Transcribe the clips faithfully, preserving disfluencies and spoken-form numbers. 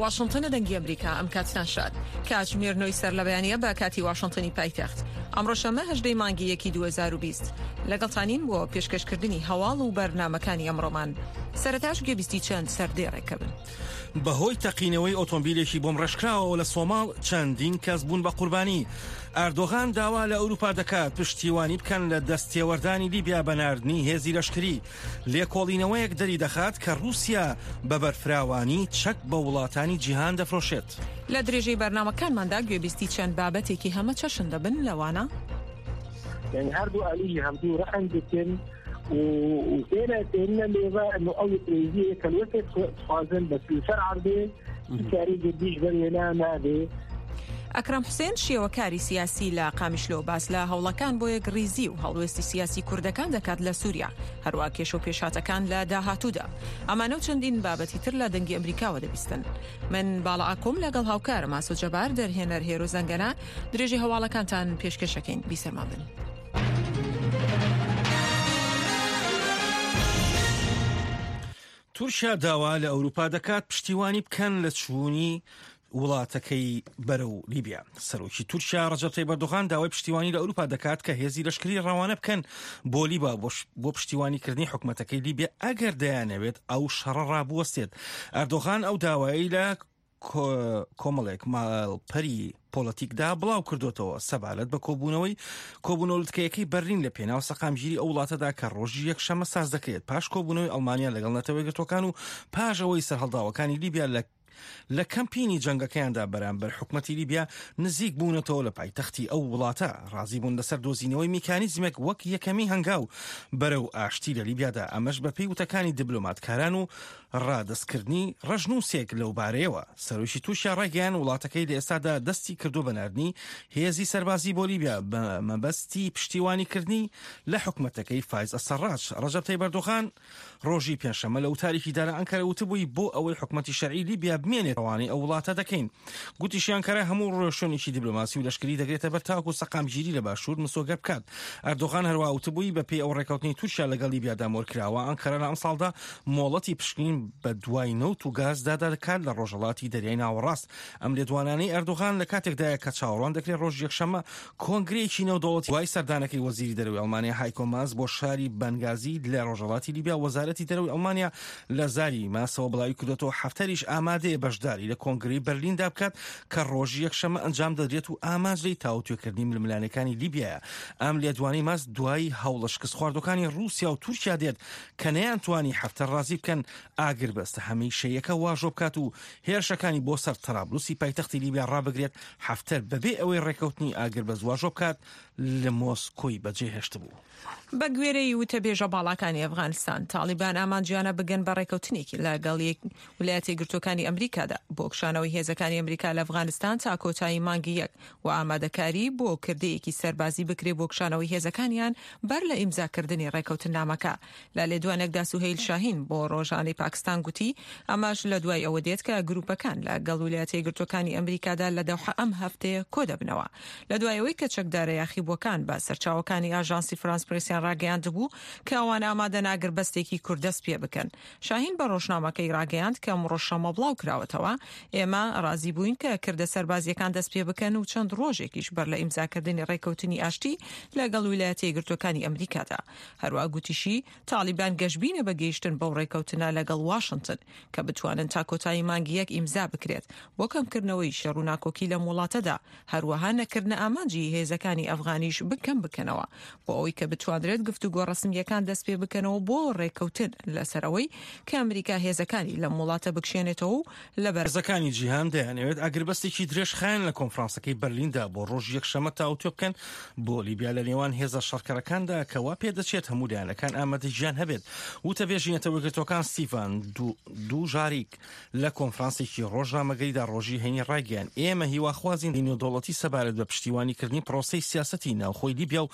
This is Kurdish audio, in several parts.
واشنگتن، دەنگی ئەمریکا، ئەم کاتتان شاد. کاتژمێر نۆی سەر لە بەیانیە بە کاتی واشنگتنی پایتەخت. ئەمڕۆ شەممە، هەژدەی مانگی یەکی دوو هەزار و بیست. لەگەڵتانین بۆ پێشکەشکردنی هەواڵ و بەرنامەکانی ئەمڕۆمان. سەرەتاش گوێبیستی چەند سەردێڕێکە بن. بەهۆی تەقینەوەی ئۆتۆمبیلێکی بۆمڕێژکراوەوە لە سۆماڵ، چەندین کەس بوون بە قوربانی. ئەردۆغان داوا لە ئەوروپا دەکات پشتیوانی بکەن لە دەستێوەردانی لیبیا بە ناردنی هێزی لەشکری. لێکۆڵینەوەیەک دەری دەخات کە رووسیا بە بەرفراوانی چەک بە وڵاتانی جیهان دەفرۆشێت. لە درێژەی بەرنامەکانماندا گوێبیستی چەند بابەتێکی هەمە چەشن دەبن، لەوانە یعنی هەردوو ئالیژی هەمدوو ڕەحم دەکەن و و ئێرە تێنە لێوە ئەنو ئەو پرێزیە کە لوەتێ خوازن بە سیوسەر عەردێ کاری گردیش بەر وێنا نابێ. ئەکرەم حوسێن، شێوەکاری سیاسی لە قامیشلۆ، باس لە هەوڵەکان بۆ یەک ڕیزی و هەڵوێستی سیاسی کوردەکان دەکات لە سووریا، هەروە کێش و پێشاتەکان لە داهاتوودا. ئەمانە و چەندین بابەتی تر لە دەنگی ئەمریکاوە دەبیستن. من باڵا ئاکۆم لەگەڵ هاوکارم ئاسۆ جەبار، دەرهێنەر هێرۆ زەنگەنە، درێژەی هەواڵەکانتان پێشکەشەکەین. بیسەرمان بن. تورکیا داوا لە ئەوروپا دەکات پشتیوانی بکەن لە چوونی وڵاتەکەی بەرەو لیبیا. سەرۆکی تورکیا ڕەجەب تەیب ئەردۆغان داوای پشتیوانی لە ئەوروپا دەکات کە هێزی لەشکری ڕەوانە بکەن بۆ لیبا بۆ ش-، بۆ پشتیوانی کردنی حکومەتەکەی لیبیا ئەگەر دەیانەوێت ئەو شەڕە ڕابوەستێت. ئەردۆغان ئەو داوایی لە کۆ-، کۆمەڵێک ماڵپەری پۆڵەتیکدا بڵاو کردوتەوە سەبارەت بە کۆبوونەوەی کۆبوونەوە لوتکەیەکەی بەرلین لە پێناو سەقامگیری ئەو وڵاتەدا کە ڕۆژی یەکشەممە ساز دەکرێت، پاش کۆبوونەوەی ئەڵمانیا لەگەڵ نەتەوە یەکگرتوەکان و پاش ئەوەی سەرهەڵداوەکانی لیبیا لە لە کەمپینی جەنگەکەیاندا بەرامبەر حکومەتی لیبیا نزیک بوونەتەوە لە پایتەختی ئەو وڵاتە. ڕازی بوون لەسەر دۆزینەوەی میکانیزمێک وەک یەکەمی هەنگاو بەرەو ئاشتی لە لیبیادا، ئەمەش بە پێی وتەکانی دیبلۆماتکاران و ڕادەستکردنی ڕەژنووسێک لەو بارەیەوە. سەرۆکی تورکیا ڕایگەیان وڵاتەکەی لە ئێستادا دەستی کردو بە ناردنی هێزی سەربازی بۆ لیبیا بە مەبەستی پشتیوانیکردنی لە حکومەتەکەی فایز ئەسەڕاج. ڕەجەب تەیب ئەردۆغان ڕۆژی پێنجشەممە لە وتارێکیدا لە ئەنکەرە وتبووی، بۆ ئەوەی حکومەتی شەرعی لیبیا بمێنێت، ڕەوانەی ئەو وڵاتە دەکەین. گوتیشی ئەنکەرە هەموو ڕێوشوێنێکی دیبلۆماسی و لەشکری دەگرێتە بەر تاکو سەقامگیری لە باشوور مسۆگەر بکات. ئەردۆغان هەروە وتبووی، بە پێی ئەو ڕێکەوتنی تورکیا لەگەڵ لیبیادا مۆرکراوە، ئەنکەرە لە ئەم ساڵدا مۆڵەتی پشکنین بە دوای نەوت و گاز دادا دەکات لە ڕۆژهەڵاتی دەریای ناوەڕاست. ئەم لێدوانانەی ئەردۆغان لە کاتێکدایە کە چاوەڕوان دەکرێت ڕۆژی یەکشەممە کۆنگرەیەکی نێودەوڵەتی دوای سەردانەکەی وەزیری دەرەوەی ئەڵمانیا هایکۆ ماس بۆ شاری بەنگازی لە ڕۆژهەڵاتی لیبیا. وەزارەتی دەرەوەی ئەڵمانیا لە زاری ماسەوە بڵاوی کردوتەوە، حەفتەریش ئامادەیە بەشداری لە کۆنگرەی بەرلیندا بکات کە ڕۆژی یەکشەممە ئەنجام دەدرێت و ئامانج لێی تاوتوێکردنی ململانەکانی لیبیایە. ئەم لێدوانەی ماس دوای هەوڵە شکست خواردەکانی رووسیا و تورکیا دێت کە نەیانتوانی حەفتەر ڕازی بکەن ئاگربەستە هەمیشەیەکە واژۆ بکات و هێرشەکانی بۆ سەر تەرابلوسی پایتەختی لیبیا ڕابگرێت، حەفتەر بەبێ ئەوەی ڕێکەوتنی ئاگربەست واژۆ بکات، لە مۆسکۆی بەجێهێشتبوو. بە گوێرەی وتەبێژە باڵاکانی ئەفغانستان، تاڵیبان ئامانجیانە بگەن بە ڕێکەوتنێکی لەگەڵ یەک-، ویلایەتە یەکگرتوەکانی ئەمریکادا بۆ کشانەوەی هێزەکانی ئەمریکا لە ئەفغانستان تا کۆتایی مانگی یەک و ئامادەکاری بۆ کردەیەکی سەربازی بکرێ بۆ کشانەوەی هێزەکانیان بەر لە ئیمزاکردنی ڕێکەوتننامەکە. لە لێدوانێکدا سوهەیل شاهین بۆ ڕۆژانەی پاکستان گوتی، ئەمەش لە دوای ئەوە دێت کە گروپەکان لە گەڵ ویلایەتە یەکگرتوەکانی ئەمریکادا لە دەوحە ئەم هەفتەیە کۆ دەبنەوە. لە دوای ئەوەی کە چەکدارە یاخیبووەکان بە سەرچاوەکانی ئاژانسی فرانس پرێسیان ڕاگەیاندبوو کە ئەوان ئامادەن ئاگربەستێکی کورت دەست پێ بکەن. شاهین بە ڕۆژنامەکەی ڕاگەیاند کە ئەمڕۆ شەممە بڵاو کراوەتەوە، ئێمە ڕازی بووین کە کردە سەربازیەکان دەست پێ بکەن و چەند ڕۆژێکیش بەر لە ئیمزاکردنی ڕێکەوتنی ئاشتی لەگەڵ ویلایەتە یەکگرتوەکانی ئەمریکادا. هەروە گوتیشی، تاڵیبان گەشبینە بە گەیشتن بەو ڕێکەوتنە لەگەڵ واشنگتن کە بتوانن تا کۆتایی مانگی یەک ئیمزا بکرێت بۆ کەمکردنەوەی شەڕ و ناکۆکی لەم وڵاتەدا، هەروەها نەکردنە ئامانجی هێزەکانی ئەفغانیش بکەم بکەنەوە، بۆ ئەوەی کە بتوانرێت گفتوگۆ ڕەسمیەکان دەست پێ بکەنەوە بۆ ڕێکەوتن لەسەر ئەوەی کە ئەمریکا هێزەکانی لەم وڵاتە بکشێنێتەوە و لە بەرزەکانی جیهان دەیانەوێت ئاگربەستێکی درێژخایەن لە کۆنفرانسەکەی بەرلیندا بۆ ڕۆژ یەکشەممە تاوتوێ بکەن بۆ لیبیا لە نێوان هێزە شەڕکەرەکاندا کە وا پێدەچێت هەموو لایەنەکان ئامادەجیان هەبێت. وتەبێژی نەتەوە یەکگرتوەکان ستیفان دو-، دوژاریک لە کۆنفرانسێکی ڕۆژنامەگەریدا ڕۆژی هەینی ڕایگەیاند، ئێمە هیواخوازین نێودەوڵەتی سەبارەت بە پشتیوانی کردنی پرۆسەی سیاسەتی ناوخۆی لیبیا و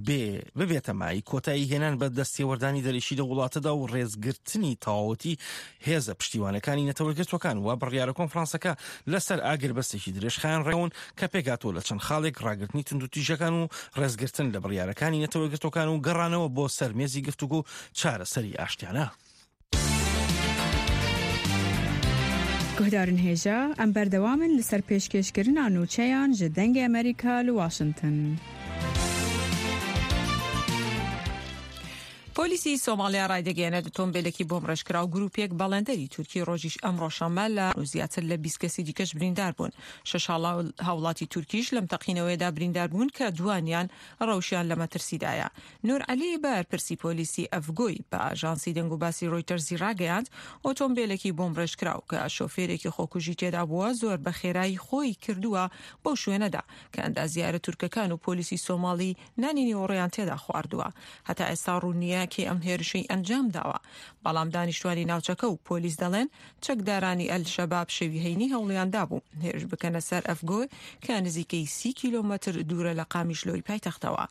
بێ ببێتە مای کۆتایی هێنان بە دەستێوەردانی دەرەکی لە وڵاتەدا و ڕێزگرتنی تەواوەتی هێزە پشتیوانەکانی نەتەوە یەکگرتوەکان. و بڕیارە کۆنفرانسەکە لەسەر ئاگربەستێکی درێژخایەن ڕێون کە پێکاتوە لە چەند خاڵێک، ڕاگرتنی توندوتیژەکان و ڕێزگرتن لە بڕیارەکانی نەتەوە یەکگرتوەکان و گەڕانەوە بۆ سەر مێزی گفتوگۆ چارەسەری ئاشتیانە. Guhdarên hêja, em berdewam in li ser pêşkêşkirina nûçeyan ji Dengê Amerîka li Washington. پۆلیسی سۆماڵیا ڕایدەگەیەنێت ئۆتۆمبیلێکی بۆمڕێژکراو گروپێک بەڵێندەری تورکی ڕۆژیش ئەمڕۆ شەممە لە زیاتر لە بیست کەسی دیکەش بریندار بوون. شەش هاوڵاتی تورکیش لەم تەقینەوەیەدا بریندار بوون کە دوانیان ڕەوشیان لە مەترسیدایە. نور عەلی بەرپرسی پۆلیسی ئەفگۆی بە ئاژانسی دەنگ و باسی ڕۆیتەرزی ڕاگەیاند، ئۆتۆمبیلێکی بۆمڕێژکراو کە شۆفێرێکی خۆکوژی تێدا بووە، زۆر بە خێرایی خۆی کردووە بەو شوێنەدا کە ئەندازیارە تورکەکان و پۆلیسی سۆماڵی نانی نیوەڕۆیان تێدا خواردووە. هەتا ئێستا ڕوون نییە کێ ئەم هێرشەی ئەنجام داوە، بەڵام دانیشتوانی ناوچەکە و پۆلیس دەڵێن چەکدارانی ئەل شەباب شەوی هەینی هەوڵیان دابوو هێرش بکەنە سەر ئەفگۆی کە نزیکەی سی کیلۆمەتر دوورە لە قامیشلۆی پایتەختەوە.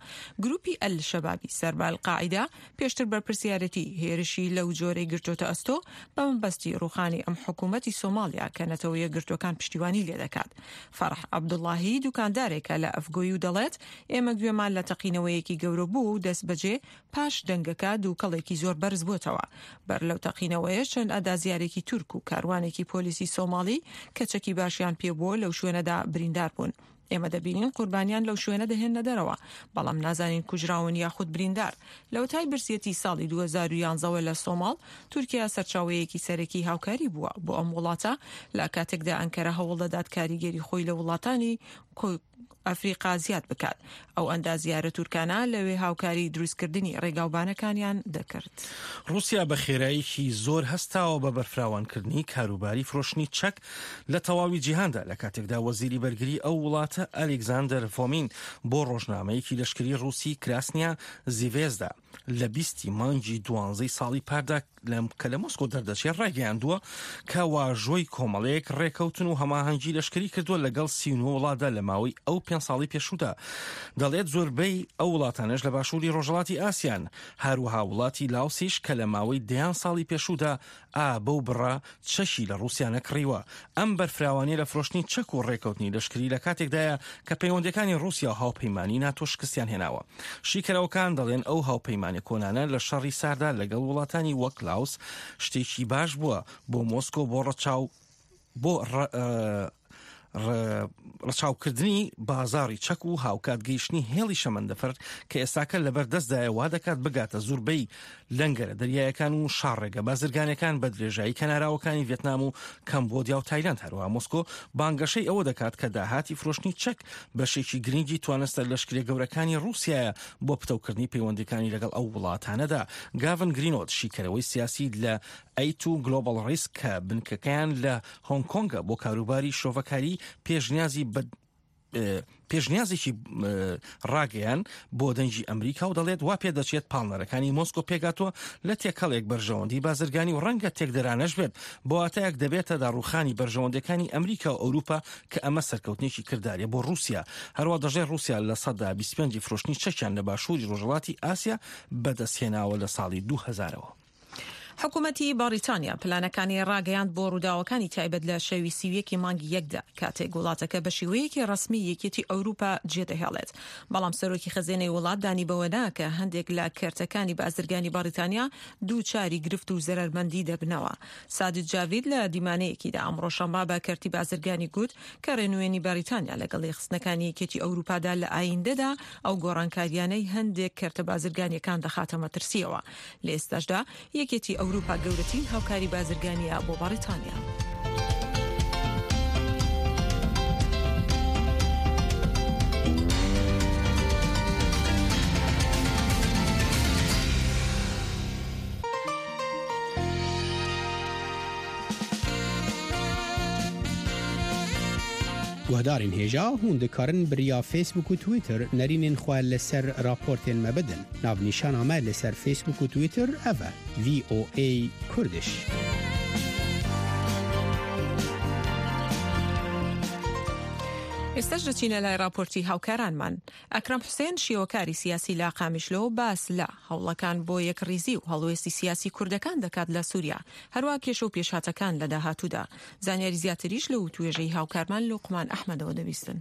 گروپی ئەل شەبابی سەربە ئەلقاعیدا پێشتر بەرپرسیارەتی هێرشی لەو جۆرەی گرتۆتە ئەستۆ بە مەبەستی ڕوخانی ئەم حکوومەتی سۆماڵیا کە نەتەوە یەکگرتووەکان پشتیوانی لێ دەکات. فەرح عەبدوڵڵاهی دوکاندارێکە لە ئەفگۆی و دەڵێت، ئێمە گوێمان لە تەقینەوەیەکی گەورە بوو و دەست بەجێ پاش دەنگەکە دووکەڵێکی زۆر بەرز بووتەوە. بەر لەو تەقینەوەیە چەند ئەندازیارێکی تورک و کاروانێکی پۆلیسی سۆماڵی کە چەکی باشیان پێبووە لەو شوێنەدا بریندار بوون. ئێمە دەبینین قوربانیان لەو شوێنە دەهێنە دەرەوە، بەڵام نازانین کوژراون یاخود بریندار. لە وتای برسیەتی ساڵی دوو هەزار و یانزەوە لە سۆماڵ، تورکیا سەرچاوەیەکی سەرەکی هاوکاری بووە بۆ ئەم وڵاتە، لە کاتێکدا ئەنکەرە هەوڵ دەدات کاریگەری خۆی لە وڵاتانی کو-، ئەفریقا زیاد بکات. ئەو ئەندازیارە تورکانە لەوێ هاوکاری دروستکردنی ڕێگاوبانەکانیان دەکرد. رووسیا بە خێراییەکی زۆر هەستاوە بە بەرفراوانکردنی کاروباری فرۆشتنی چەک لە تەواوی جیهاندا، لە کاتێکدا وەزیری بەرگری ئەو وڵاتە ئەلێکزاندەر فۆمین بۆ ڕۆژنامەیەکی لەشکری رووسی کراسنیا زیڤێزدا لە بیستی مانگی دوانزەی ساڵی پاردا لەم، کە لە مۆسکۆ دەردەچێت، ڕایگەیاندووە کە واژۆی کۆمەڵەیەک ڕێکەوتن و هەماهەنگی لەشکری کردووە لەگەڵ سی و نۆ وڵاتدا لە ماوەی ئەو پێنج ساڵی پێشوودا. دەڵێت زۆربەی ئەو وڵاتانەش لە باشووری ڕۆژهەڵاتی ئاسیان، هەروەها وڵاتی لاوسیش کە لە ماوەی دەیان ساڵی پێشوودا ئا بەو بڕە چەکی لە رووسیا نەکڕیوە. ئەم بەرفراوانیە لە فرۆشتنی چەک و ڕێکەوتنی لەشکری لە کاتێکدایە کە پەیوەندەکانی رووسیا و هاوپەیمانی ناتۆ شکستیان هێناوە. شیکەرەوەکان دەڵێن ئەو هاوپەیمانە کۆنانە لە شەڕی ساردا لەگەڵ وڵاتانی وەک لاوس شتێکی باش بووە بۆ مۆسکۆ بۆ ڕەچاو، بۆ ڕە-، ئە، ڕە-، ڕەچاوکردنی بازاڕی چەک و هاوکات گەیشتنی هێڵی شەمەندەفەر کە ئێستاکە لەبەر دەستدایە، وا دەکات بگاتە زوربەی لەنگەرە دەریایەکان و شاڕێگە بازرگانەکان بە درێژایی کەناراوەکانی ڤێتنام و کەمبۆدیا و تایلەند. هەروەها مۆسکۆ بانگەشەی ئەوە دەکات کە داهاتی فرۆشتنی چەک بەشێکی گرنگی توانستە لەشکرە گەورەکانی رووسیایە بۆ پتەوکردنی پەیوەندیەکانی لەگەڵ ئەو وڵاتانەدا. گاڤن گرینۆد، شیکەرەوەی سیاسی لە ئەیت و گلۆبال ریسک کە بنکەکەیان لە هۆنگ کۆنگە بۆ کاروباری شۆڤەکاری، پێشنیازی بە، ئە، پێشنیازێکی، ئە، ڕاگەیان بۆ دەنگی ئەمریکا و دەڵێت وا پێ دەچێت پاڵنەرەکانی مۆسکۆ پێگاتوە لە تێکەڵێک بەرژەوەندی بازرگانی و ڕەنگە تێکدەرانەش بێت. بۆ واتایەک دەبێتە داڕوخانی بەرژەوەندەکانی ئەمریکا و ئەوروپا کە ئەمە سەرکەوتنێکی کردارە بۆ رووسیا. هەروە دەژێ رووسیا لە سەدا بیست و پێنج فرۆشتنی چەکیان لە باشووری ڕۆژهەڵاتی ئاسیا بەدەستهێناوە لە ساڵی دوو هەزارەوە. حکوومەتی بەڕیتانیا پلانەکانی ڕاگەیاند بۆ ڕووداوەکانی تایبەت لە شەوی سی و یەکی مانگی یەکدا، کاتێک وڵاتەکە بە شێوەیەکی ڕەسمی یەکێتی ئەوروپا جێدەهێڵێت. بەڵام سەرۆکی خەزێنەی وڵات دانی بەوە دا کە هەندێک لە کەرتەکانی بازرگانی بەڕیتانیا دووچاری گرفت و زەرەرمەندی دەبنەوە. سادت جاوید لە دیمانەیەکیدا ئەمڕۆ شەممە بە کەرتی بازرگانی گوت کە ڕێنوێنی بەریتانیا لەگەڵ یەخستنەکانی یەکێتی ئەوروپادا لە ئایندەدا ئەو گۆڕانکاریانەی هەندێک کەرتە بازرگانیەکان دەخاتە مەترسیەوە. لە ئێستاشدا یەکێتی ئەوروپا گەورەترین هاوکاری بازرگانیە بۆ بەریتانیا. Guhdarên hêja, hûn dikarin bi riya Facebook û Twitter nerînên xwe li ser raportên me bidin. Navnîşana me li ser Facebook û Twitter ev e, V O A Kurdish. ئێستاش دەچینە لای راپۆرتی هاوکارانمان. ئەکرەم حوسێن، شێوەکاری سیاسی لە قامیشلۆ، باس لە هەوڵەکان بۆ یەکڕیزی و هەڵوێستی سیاسی کوردەکان دەکات لە سووریا، هەروە کێشە و پێشهاتەکان لە داهاتوودا. زانیاری زیاتریش لە وتوێژەی هاوکارمان لوقمان ئەحمەدەوە دەبیستن.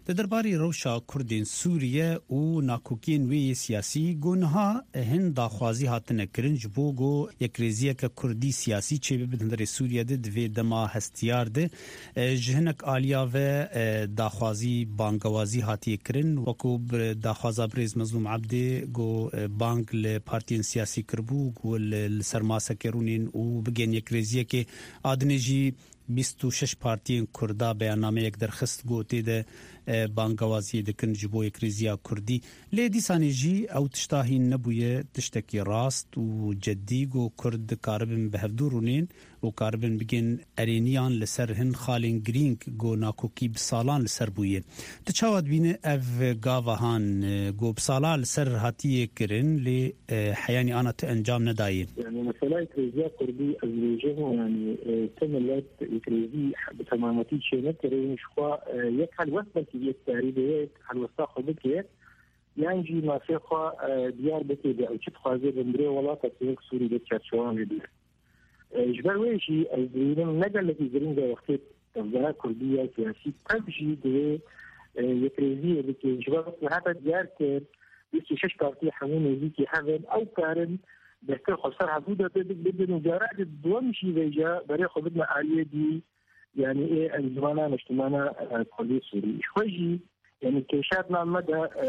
Di derbarê rewşa Kurdên Sûriye û nakokiyên wê yê siyasî, ku niha hin daxwazî hatine kirin ji bo ku yekrêziyeke Kurdî siyasî çêbibe di hundirê Sûriye de, di vê dema hestiyar de, e, ji hinek aliya ve, e, daxwazî bangewazî hatiye kirin, wekû bi daxwaza birêz Mezlûm Ebdê ku, e, bang li partiyên siyasî kiribû, ku li, li ser maseke rûnên û bigên yekrêziyekê. Adinê jî bîst û şeş partiyên Kurda beyannameyek derxist, ku tê de, e, bangewaziyê dikin ji bo yekrêziya Kurdî. Lê dîsanê jî ew tişta hîn nebûye tiştekî rast û ceddî, ku Kurd dikaribin bi hevdû rûnên û karibin bigên erêniyan li ser hin xalên girîng, ku nakokî bi salan li ser bûye. Tu çawa dibîne ev gava han, e, ku bi sala li ser hatiye kirin, lê e, heyanî ana tu encam nedayê. Yani mesela yekrêziya Kurdî ez dibêjim, yani, e, tu milet yekrêzî bi temametî çênekirin, ji xwe, e, yek helwest belkî yek karî be, yek helwesta xwe bike, yan jî mafê xwe, e, diyar bike de ew çi dixwaze bindirê welata ku yek Sûrî de çerçewan vê bîr. E, ji ber wê jî ez dibînim ne gelekî giring e wextê tevgera Kurdî ya siyasî tev jî divê, e, yekrêziyê bike. Ji ber wextê hate diyar kir, bîst û şeş partî hemû nêzîkî hev in, ew karin bêhtir xwe ser hevû de bid-, bidin û cara di duwem jî vêca berê xwe bidine aliyê dî, yanî ê Encûmena Niştimana, e, Kurdê Sûrî. Ji xwe jî, yanî kêşa di nav me de, e,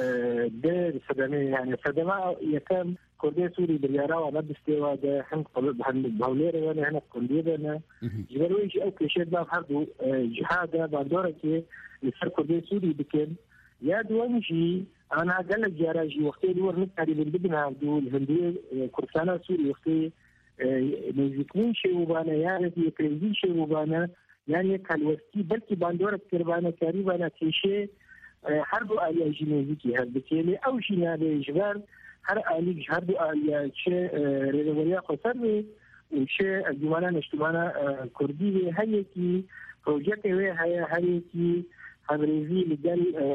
dê sedemê, yanî sedema yekem Kurdê Sûrî biryara wan ne distê wa de, hin qul-, hin bi hewlêrê ve ne, hin qundiyê ve ne. Mhm. Ji ber wê jî ew kêşe di nav her du, e, ciha de bandorekê li ser Kurdê Sûrî bikin. Ya duwem jî, ana gelek cara jî wextê li wir nikarîbin bibin hevdû, li hundirê, e, Kurdistana Sûrî wextê, e, nêzîkbûn çêbûbane, ya rêkî yekrêzî çêbûbane, yan yek helwestî, belkî bandorek kiribane, karîbane kêşê, e, her du aliya jî nêzîkî hev bike. Lê ew jî nabe ji ber her alîk ji her du aliya çi, e, rêveberiya xweser be, û çi Encûmena Niştimana, e, Kurdî wê, her yekî projeyeke wê heye, her yekî hevrizî li gel, e,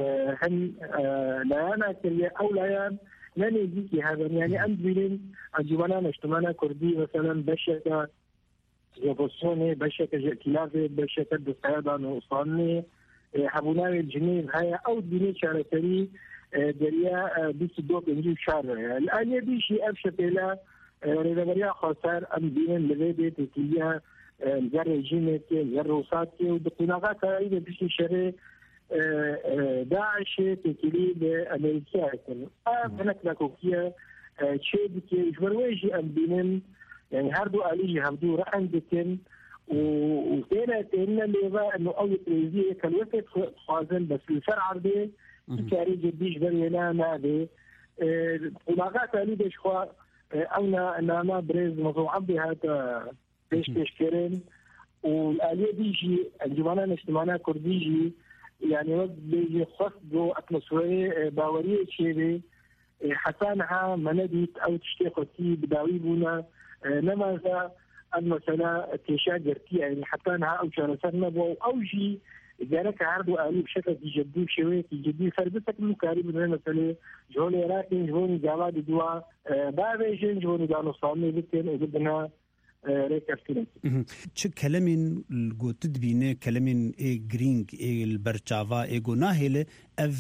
hin, e, layana kiriye. Ew layan ne nêzîkî hev in. Yanî em dibînin Encûmena Niştimana Kurdî, meselen, beşeke ji opozisyonê, beşeke ji îtîlafê, beşeke desteya danûstandinê, e, hebûna wê li Cinêv heye. Ew dibîne çareserî, e, deriya, e, bîst û du pêncî û çar re ye. Li aliyê dî jî ev şepêle, e, rêveberiya xweser, em dibînin li vê dê têkiliya, e, li ser rejîmê tê, li ser Rûsat tê û di qonaxa karayî de piştî şerê, e, e, DAIŞê têkilî bi Amerîkaya kir. Ev hinek nakokiye, e, çê dike. Ji ber wê jî em dibînin, yanî her du alî jî hevdû rehn dikin û, û têne, têne lêve, eno ew yekrêziyê kelwekê dixwazin, bes li ser erdê, mhm, hiç karê cidî ji ber wê ne, nabe. E, qonaxa karayî de ji xwe, e, ew na-, nama birêz Mezlûm Ebdî hate pêşkêşkirin û li aliyê dî jî Encûmena Niştimana Kurdî jî, yanî wek bêjî xwest ku atmosferê, e, baweriyê çêbe, e, heta niha me nedît ew tiştê xwestî bi dawî bûne, e, nemaze ev mesela kêşa girtiye, yanî heta niha ew çareser nebû û ew jî gereke her du alî bi şeklekî cidî, bi şêweyekî cidî ser bisekin û karîbin vê meselê ji holê rakin, ji bo gava diduwa, e, bavêjin, ji bo danûstandinê bikin û bibine e, rêkeftinekî. Mhm. Çi kelemên ku tu dibîne, kelemên ê girîng, ê li ber çava, ê ku nahêle ev,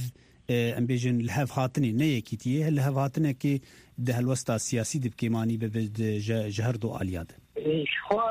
e, em bêjin, li hev hatinê, ne yekîtiyê, li hev hatinekê di helwesta siyasî de bi kêmanî bibe di, ji, ji her du aliya de? E, ji xwe,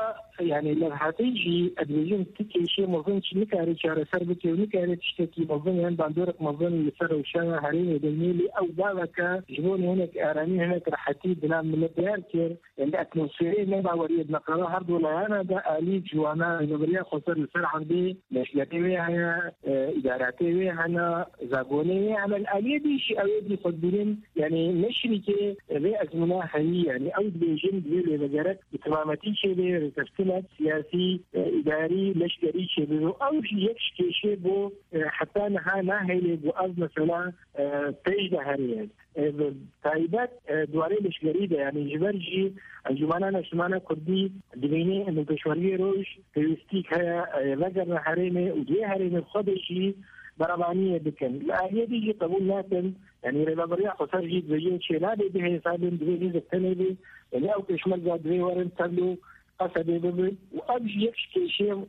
yanî levhatê jî, ez dibêjim, tu kêşê mezin çi nikare çareser bike û nikare tiştekî mezin yan bandorek mezin li ser rewşa herêmê de nê, lê ew baveke ji bo hinek aramî, hinek rehetî di nav milet diyar kir. Yanî atmosferê nebaweriyê di navbera her du layana de alî ciwana rêveberiya xweser li ser erdê, leşgerê wê heye, e, îdaratê wê hene, zagonê wê hene. Li aliyê dî jî ew ê dî xwe dibînin, yanî ne şirîkê vê ezmûna heyî, yanî ew dibêjin divê lêvegerek bi temametî çêbe, rêkeftinek siyasî, e, îdarî, leşkerî çêbe. Ew jî yek ji kêşê bo, e, heta niha nahêle ku ev mesela, e, pêş de here. E, bi taybet, e, di warê leşkerî de, yanî ji ber jî Encûmena Neştimana Kurdî dibîne û pêşmergê roj pêwîstîk heye, e, vegerine herêmê û di wê herêmê xwe de jî berevaniyê bikin. Li aliyê dî jî qebûl nakin, yanî rêveberiya xweser jî dibêje çênabe bihêsabin, divê hêzek tenê be, yanî ew pêşmerga divê werin tevlo Qesedê bibe û ev jî yek ji kêşeyên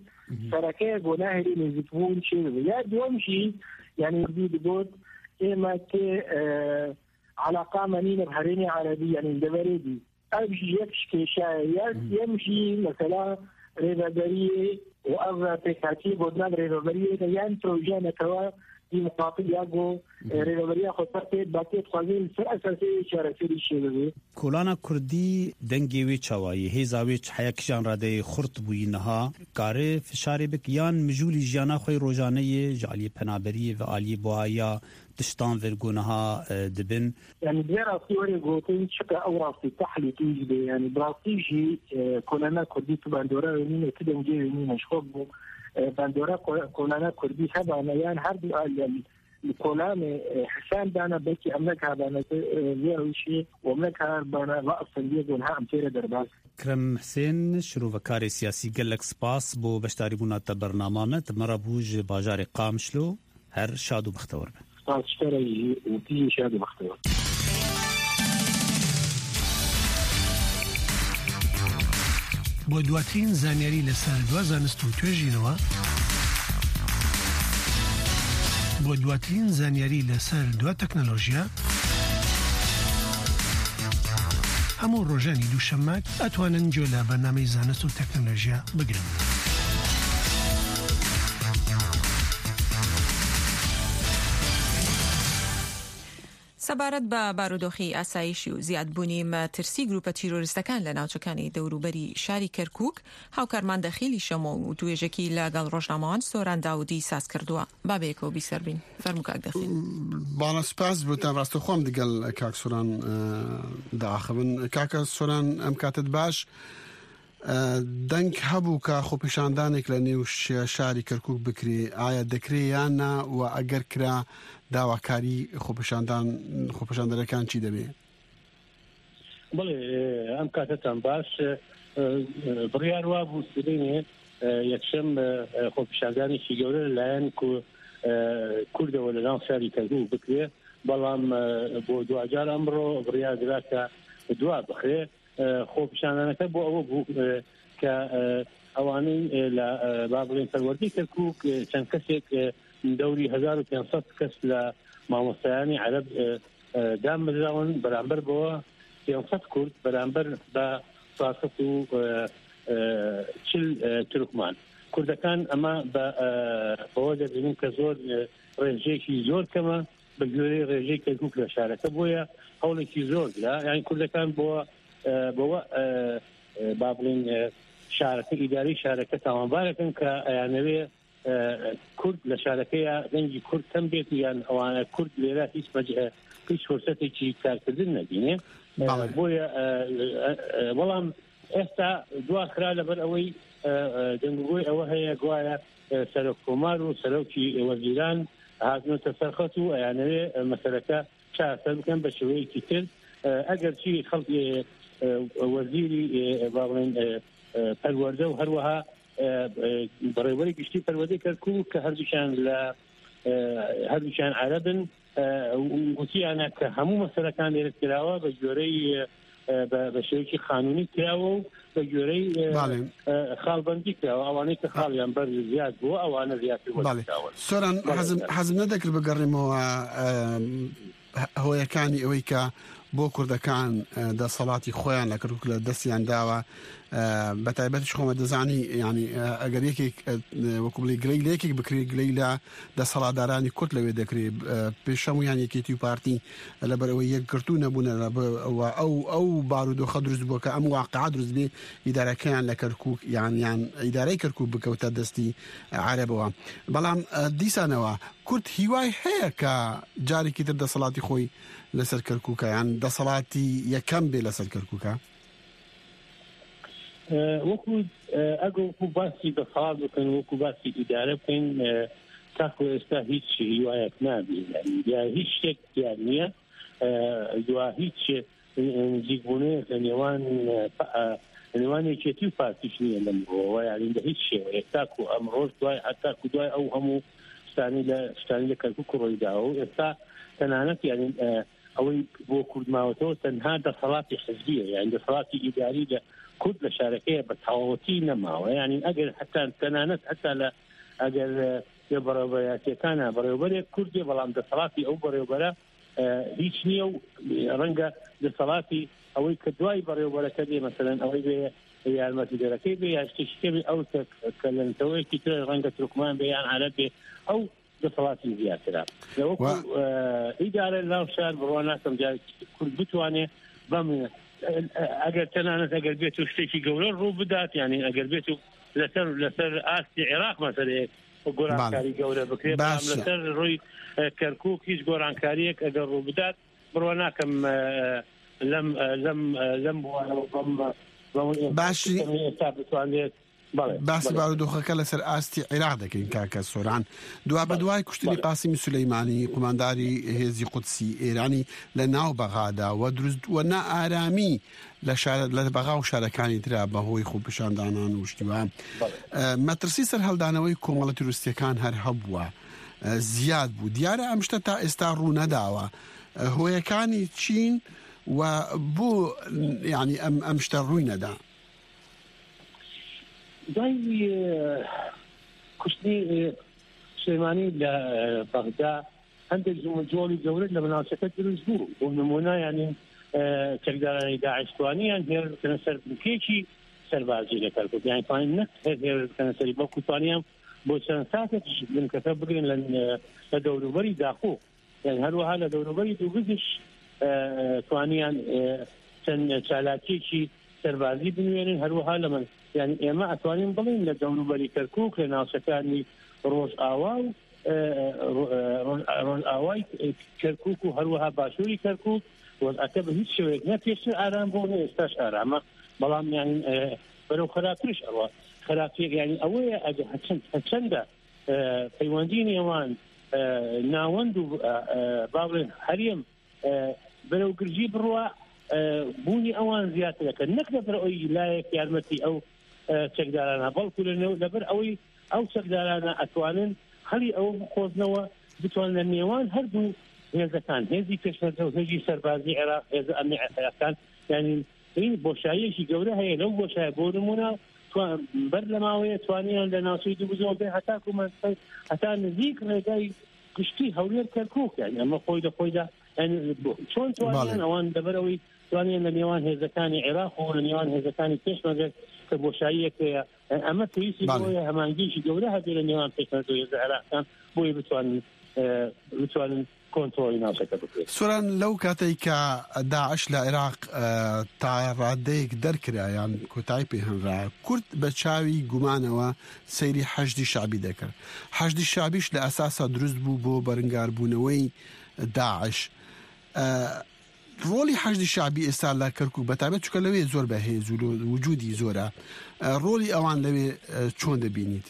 sereke ye ku nahêle nêzîkbûn çêbibe. Ya duwem jî Yani, wî digot, ême ki, e, alaqa me nîne bi herêmê erebî, yani, li deverê dî. Ev jî yek ji kêşe ye. Yek, yem jî, mesela, rêveberiyê û ev pêkhatiyê gotina bi rêveberiyê de, yan proje netewa dî muqabil ya ku, e, rêveberiya xweser tê, ba tê dixwazê li ser esasê çareserî çêbibe. Kolana Kurdî dengê wê çawa ye? Hêza wê çi heya kîjan radeyê xurt bûyî niha? Kare fişarê bik yan mijûlî jiyana xwe yê rojaneyê ji aliyê penaberiyê ve aliyê buhaya tiştan vir ku niha, e, dibin? Yani, bi vê rastî were gotin, çika ew rastî tehlî tûj be. Yani, bi rastî jî, e, kolana Kurdî tu bandora wê nîne, tu dengê wê nîne. Ji xwe bû, e, bandora ko-, kolana Kurdî hebane, yan her du aliyan li kolanê, e, hesab dana, belkî em nekabane, e, vê rewşê û em nekabane va astengiyê ku niha em tê re derbas. Krem Husên, şirovekarê siyasî, gelek spas bo beşdarîbûna te bernama me. Te me re bû ji bajarê Qamişlo. Her şad û bextewar be. Spas ji te re jî û tu jî şad û bextewar. بۆ دواترین زانیاری لەسەر دوا زانست و توێژینەوە، بۆ دواترین زانیاری لەسەر دوا تەکنەلۆژیا، هەموو ڕۆژانی دووشەممە ئەتوانن گوێ لە بەرنامەی زانست و تەکنەلۆژیا بگرن. سەبارەت بە بارودۆخی ئاسایشی و زیادبوونی مەترسی گروپە تیرۆریستەکان لە ناوچەکانی دەوروبەری شاری کەرکووک، هاوکارمان دەخیلی شەمۆ و توێژێکی لەگەڵ ڕۆژنامەوان سۆران داودی ساز کردووە. با بەیەکەوە بیسەر بین. فەرموو کاک دەخیل. باڵە سپاس بۆتان، ڕاستەوخۆم دەگەڵ کاک سۆران، ئە، داخبن. کاکە سۆران، ئەم کاتت باش. ئە، دەنگ هەبوو کە خۆپیشاندانێک لە نێو ش-، شاری کەرکووک بکرێ. ئایا دەکرێ یان نا؟ و ئەگەر کرا، داواکاری خۆپیشاندان، خۆپیشاندەرەکان چی دەبێ؟ بەڵێ، ئەم کاتتان باش. ئە، ئە، بڕیار وا بوو سبەینێ، ئە، یەکشەم، ئە، ئە، خۆپیشاندانێکی گەورە لەلایەن کو-، ئە، کوردەوە لە ناو شاری کەرکووک بکرێ، بەڵام، ئە، بۆ دواجار ئەمڕۆ بڕیار درا کە دوا بخرێ. ئە، خۆپیشاندانەکە بۆ ئەوە بوو، ئە، کە، ئە، ئەوانەی، ئە، لە، ئە، با بڵێن پەروەردەی کەرکووک، ئە، چەند کەسێک، ئە، دەوری هەزار و پێنج سەد کەس لە مامۆستایانی عەرەب، ئە، ئە، دامەزراون، بەرامبەر بەوە پێنج سەد کورد بەرامبەر بە چوار سەد و، ئە، ئە، چل، ئە، تورکمان. کوردەکان ئەمە بە، ئە، بەوە دەبینن کە زۆر، ئە، ڕێژەیەکی زۆر کەمە بە گوێرەی ڕێژەی کەرکووک لە شارەکە، بۆیە هەوڵێکی زۆر درا. یعنی کوردەکان بۆ، ئە، بەوە، ئە، ئە، با بڵێن، ئە، شارەکە، ئیدارەی شارەکە تاوانبارەکەن کە ئەیانەوێ، ئە، کورد لە شارەکەیە، دەنگی کورد کەم بێت و یان ئەوانە کورد لێرە هیچ مەج-، ئە، هیچ فرسەتێکی کارکردن نەبینێ. ئە، بەڵێ. بۆیە، ئە، ئە، ئە، بەڵام ئێستا دوا خرا لەبەر ئەوەی، ئە، ئە، دەنگوگۆی ئەوە هەیە گوایە، ئە، سەرۆک کۆمار و سەرۆکی وەزیران هاتنەوەتە سەرخەت و ئەیانەوێ، ئە، مەسەلەکە چارەسەر بکەن بە شێوەیەکی تر. ئە، ئەگەرچی خەڵک، ئێ، ئێ، وەزیری، ئێ، با بڵێن، ئێ، ئێ، پەروەردە و هەروەها، ئێ، ئێ، بەڕێوەری گشتی پەروەردەی کەرکووک کە هەردووکیان لە، ئێ، هەردووکیان عەرەبن، ئێ، و-، وتیانە کە هەموو مەسەلەکان لێرە کراوە بە گوێرەی، ئێ، بە، بە شێوەیەکی قانونی کراوە و بە گوێرەی، ئێ، بەڵێ. ئێ، خاڵبەندی کراوە. ئەوانەی کە خاڵیان بەر زیاد بووە، ئەوانە زیاتر بەڵێ. وەرگراون. سۆران، بەڵێ. حەزم، حەزم نەدەکرد بگەڕێمەوە، ئێ، هۆیەکانی ئەوەی کە بۆ کوردەکان، ئە، دەسەڵاتی خۆیان لە کەرکووک لە دەستیان داوە. ئە، بە تایبەتیش خۆمە دەزانی، یعنی، ئە، ئەگەر یەکێک، ئە، وەکو بڵێ گلەی لە یەکێک بکرێ، گلەی لە دەسەڵاتدارانی کورد لەوێ دەکرێ. ئە، پێشەمویان یەکێتی و پارتی لەبەر ئەوەی یەکگرتوو نەبوونە، لەبەر ئەوە ئەو، ئەو بارودۆخە دروست بووە کە ئەم واقعە دروست بێ، ئیدارەکەیان لە کەرکووک، یان، یان ئیدارەی کەرکووک بکەوتە دەستی عەرەبەوە. بەڵام، ئە، دیسانەوە کورد هیوای هەیە کە جارێکی تر دەسەڵاتی خۆی لەسەر کەرکووکە، یان دەسەڵاتی یەکەم بێ لەسەر کەرکووکە؟ ئە، وەکو، ئە، ئەگەر وەکو باسی دەسەڵات بکەن، وەکو باسی ئیدارە بکەن، ئە، تاکو ئێستا هیچ هیوایەک نابێ، یعنی، یا هیچ شتێک دیار نییە، ئە، یا هیچ نزیکبوونەیەک لە نێوان، ئە، پا-، ئە، لە نێوان یەکێتی و پارتیش نییە لەم ڕۆوە، یعنی، بە هیچ شێوەیەک. تاکو ئەمڕۆش دوای، هەتاکو دوای ئەو هەموو شتانی لە، شتانی لە کەرکووک ڕووی داوە و ئێستا تەنانەت، یعنی، ئە، ئەوەی بۆ کورد ماوەتەوە تەنها دەسەڵاتی حزبیە، یعنی دەسەڵاتی ئیداری لە کورد لە شارەکەیە بە تەواوەتی نەماوە. یعنی ئەگەر حتا تەنانەت حتا لە، ئەگەر، ئە، لە بەڕێوەبەرایەتیەکانە بەڕێوەبەرێک کورد بێ، بەڵام دەسەڵاتی ئەو بەڕێوەبەرە هیچ نییە و ڕەنگە دەسەڵاتی ئەوەی کە دوای بەڕێوەبەرەکە دێ، مەسەلەن ئەوەی بێ یارمەتیدەرەکەی بێ یا شتێکی کەبێ، ئەو کە لە نەتەوەیەکی تر، ڕەنگە تورکمان بێ یان عەرەب بێ، ئەو دەسەڵاتی زیاترە. لەوەکو ئیدارە لەناو شار بڕوا ناکەم جارێکی کورد بتوانێ بەم، ئەگەر تەنانەت ئەگەر بێت و شتێکی گەورە ڕوو بدات، یعنی ئەگەر بێت و لەسەر، لەسەر ئاستی عێراق مەسەلەیە گۆرانکاری گەورە بکرێت، بەڵام لەسەر ڕووی کەرکووک هیچ گۆرانکاریەک ئەگەر ڕوو بدات، بڕوا ناکەم لەم، لەم، لەم بوارەوە بەم، بەم باشی. ئێستا بتوانێت. بەڵێ، باسی بەڵێ. بارودۆخەکە لەسەر ئاستی عێراق دەکەین، کاکە سۆران. دوا بە بەڵێ، دوای کوشتنی بەڵێ. قاسمی سولەیمانی، قومانداری هێزی قودسی ئێرانی لە ناو بەغادا و دروست و نائارامی لە شارە، لە بەغا و شارەکانی ترا بەهۆی خۆپیشاندانان و شتیوان. بەڵێ. ئە، مەترسی سەرهەڵدانەوەی کۆمەڵە تروریستیەکان هەر هەبووە، ئە، زیاد بوو. دیارە ئەم شتە تا ئێستا ڕوو نەداوە. ئە، هۆیەکانی چین و بۆ، یعنی، ئەم، ئەم شتە ڕووی نەدا؟ دوای، ئە، کوشتنی، ئە، سلێمانی لە، ئە، بەغدا، هەندێک جموجۆڵی گەورە لە بناوچەکە دروست بوو. بۆ نمونە، یعنی، ئە، چەکدارانی داعش توانیان هێرش بکەنە سەر بنکەیەکی سەربازی لە کەرکووک. یعنی، توانین نەک هەر هێرش بکەنە سەری، بەڵکو توانیان بۆ چەند ساتێک بنکەکە بگرن لە، لە دەوروبەری داخۆ. یعنی، هەروەها لە دەوروبەری دووگزیش، ئە، توانیان، ئە، چەند چالاکیەکی سەربازی بنوێنن. هەروەها لە من، یعنی، ئێمە ئەتوانین بڵێن لە دەوروبەری کەرکووک، لە ناوچەکانی ڕۆژئاوا و، ئە، ڕۆ-، ئە، ڕۆژ-، ڕۆژئاوای کەرکووک و هەروەها باشووری کەرکووک وەزعەکە بە هیچ شێوەیەک نە پێشتر ئارام بوو، نە ئێستاش ئارامە. بەڵام، یعنی، ئە، بەرەو خراپترش ئەڕوا. خراپتر، یعنی، ئەوەیە ئەگە هەچەند، هەچەندە، ئە، پەیوەندی نێوان، ئە، ناوەند و، ئە، ئە، با بڵێن هەرێم، ئە، بەرەو گرژی بڕوا، ئە، بوونی ئەوان زیاترەکە. نەک لەبەر ئەوی لایەک یارمەتی ئەو، ئە، چەکدارانە، بەڵکو لە نێو-، لەبەر ئەوەی ئەو چەکدارانە ئەتوانن هەڵی ئەوە بقۆزنەوە، بتوان لە نێوان هەردوو هێزەکان، هێزی پێشمەرگە و هێزی سەربازی عێراق، هێزە ئەمنی عێراقەکان، یعنی، این بۆشاییەکی گەورە هەیە لەو بۆشایە. بۆ نمونە، توان-، بەر لە ماوەیە توانیان لە ناوچەی دووبزۆ بێ هەتاکو مەنسەی، هەتا نزیک ڕێگای گشتی هەولێر کەرکووک، یعنی، ئەمە خۆی لە خۆیدا، یعنی، بۆ-، چۆن توانیان بەڵێ. ئەوان لەبەرەوەی توانیان لە نێوان هێزەکانی عێراق و لە نێوان هێزەکانی پێشمەرگە کە بۆشاییەک هەیە، ئەمە پێویستی بەڵێ. بۆیە هەمانگیشی گەورە هەبێ لە نێوان پێشمەرگە و هێزە عێراقیان، بۆیە بتوانن، ئە، بتوانن کۆنترۆلی ناوچەکە بکرێت. سۆران، لەو کاتەی کە داعش لە عێراق، ئە، تا ڕادەیەک دەرکرا یان کۆتایی پێ هەنرا، کورد بە چاوی گومانەوە سەیری حەشدی شعبی دەکرد. حەشدی شعبیش لە ئەساسا دروست بوو بۆ بەرنگاربوونەوەی داعش. ئە، ڕۆڵی حەشدی شعبی ئێستا لە کەرکووک بەتابێت، چونکە لەوێ زۆر بەهێز و لۆ-، وجودی زۆرە. ئە، ڕۆڵی ئەوان لەوێ، ئە، چۆن دەبینیت؟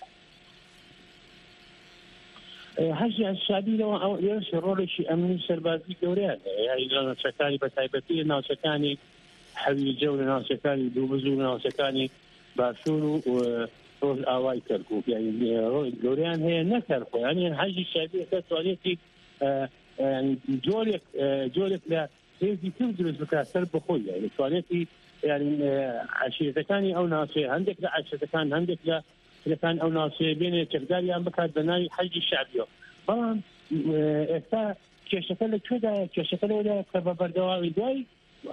ئە، حەشدی شعبی لەوە ئەو، ئێرش ڕۆڵێکی ئەمنی سەربازی گەورەیان هەیە. یعنی، لە ناوچەکانی بە تایبەتی، لە ناوچەکانی حەویجە و لە ناوچەکانی دووبز و لە ناوچەکانی باشوور و، و ڕۆژئاوای کەرکووک. یعنی، ڕۆڵی گەورەیان هەیە، نەک هەر خۆیان. یعنی، حەشدی شعبی ئێستا توانێتی، ئە، ئە، یعنی، جۆرێک، ئە، جۆرێک لە هێزی تر دروست بکات سەر بەخۆی، یعنی توانێتی، یعنی، ئە، عەشیرەتەکانی ئەو ناوچەیە، هەندێک لە عەشیرەتەکان، هەندێک لە کرێکان ئەو ناوچەیە بێنێ چەکداریان بکات بە ناوی حەشدی شعبیەوە. بەڵام، ئە، ئێستا کێشەکە لە کوێدایە؟ کێشەکە لەوەدایە کە بە بەردەوامی دوای،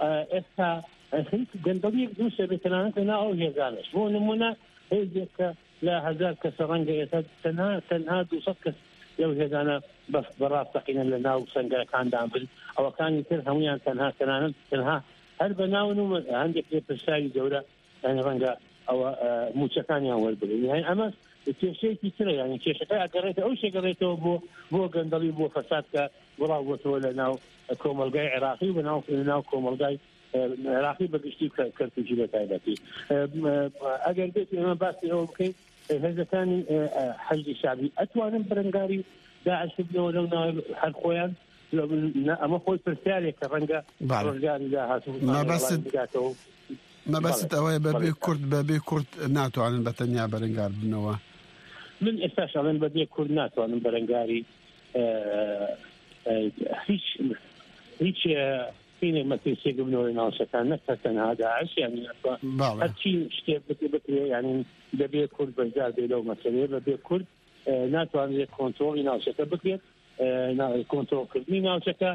ئە، ئێستا، ئە، خەریکی گەندەڵیەک دروست دەبێت، تەنانەت لە ناو ئەو هێزانەش. بۆ نمونە، هێزێک کە لە هەزار کەسە ڕەنگە ئێستا تەنها، تەنها دوو سەد کەس لەو هێزانە بە، بە ڕاستەقینە لە ناو سەنگەرەکاندان بن. ئەوەکانی تر هەمویان تەنها، تەنانەت تەنها هەر بە ناون و هەندێک لێپرسراوی گەورە، یعنی ڕەنگە ئەوە، ئە، موچەکانیان وەربگرن. یعنی ئەمە کێشەیەکی ترە، یعنی کێشەکە ئەگەڕێتە ئەو شێگەڕێتەوە بۆ، بۆ گەندەڵی، بۆ فەساد کە بڵاو بۆتەوە لە ناو کۆمەلگای عێراقی و بە ناو، ناو کۆمەلگای، ئە، عێراقی بە گشتی و کە-، کەرکووکی بە تایبەتی. ئە، ئە، ئەگەر بێت ئێمە باسی ئەوە بکەین، ئە، هێزەکانی، ئە، ئە، حەشدی شعبی ئەتوانن بەرەنگاری داعش ببنەوە لەو ناوە هەر خۆیان؟ لە-، نە، ئەمە خۆی پرسیارێک کە ڕەنگە بەڵێ. ڕۆژگاری داهاتوو مەبەست-، وڵامی بداتەوە. مەبەست بەڵێ. ئەوەیە بەبێ بەڵێ. کورد، بەبێ کورد ناتوانن بە تەنیا بەرەنگار بنەوە. من ئێستاش ئەڵێم بەبێ کورد ناتوانن بەرەنگاری، ئە، ئە، هیچ، هیچ، ئە، هینێک مەترسیەک بنەوە لە ناوچەکان، نەک هەر تەنها داعش، یعنی ئەسڵەن بەڵێ. هەرچی شتێک بکرێ، بکرێ، یعنی دەبێ کورد بەشدار بێ لەو مەسەلەیە، بەبێ کورد ئە، ناتوانرێت کۆنترۆڵی ناوچەکە بکرێت. ئە، نا-، کۆنترۆڵکردنی ناوچەکە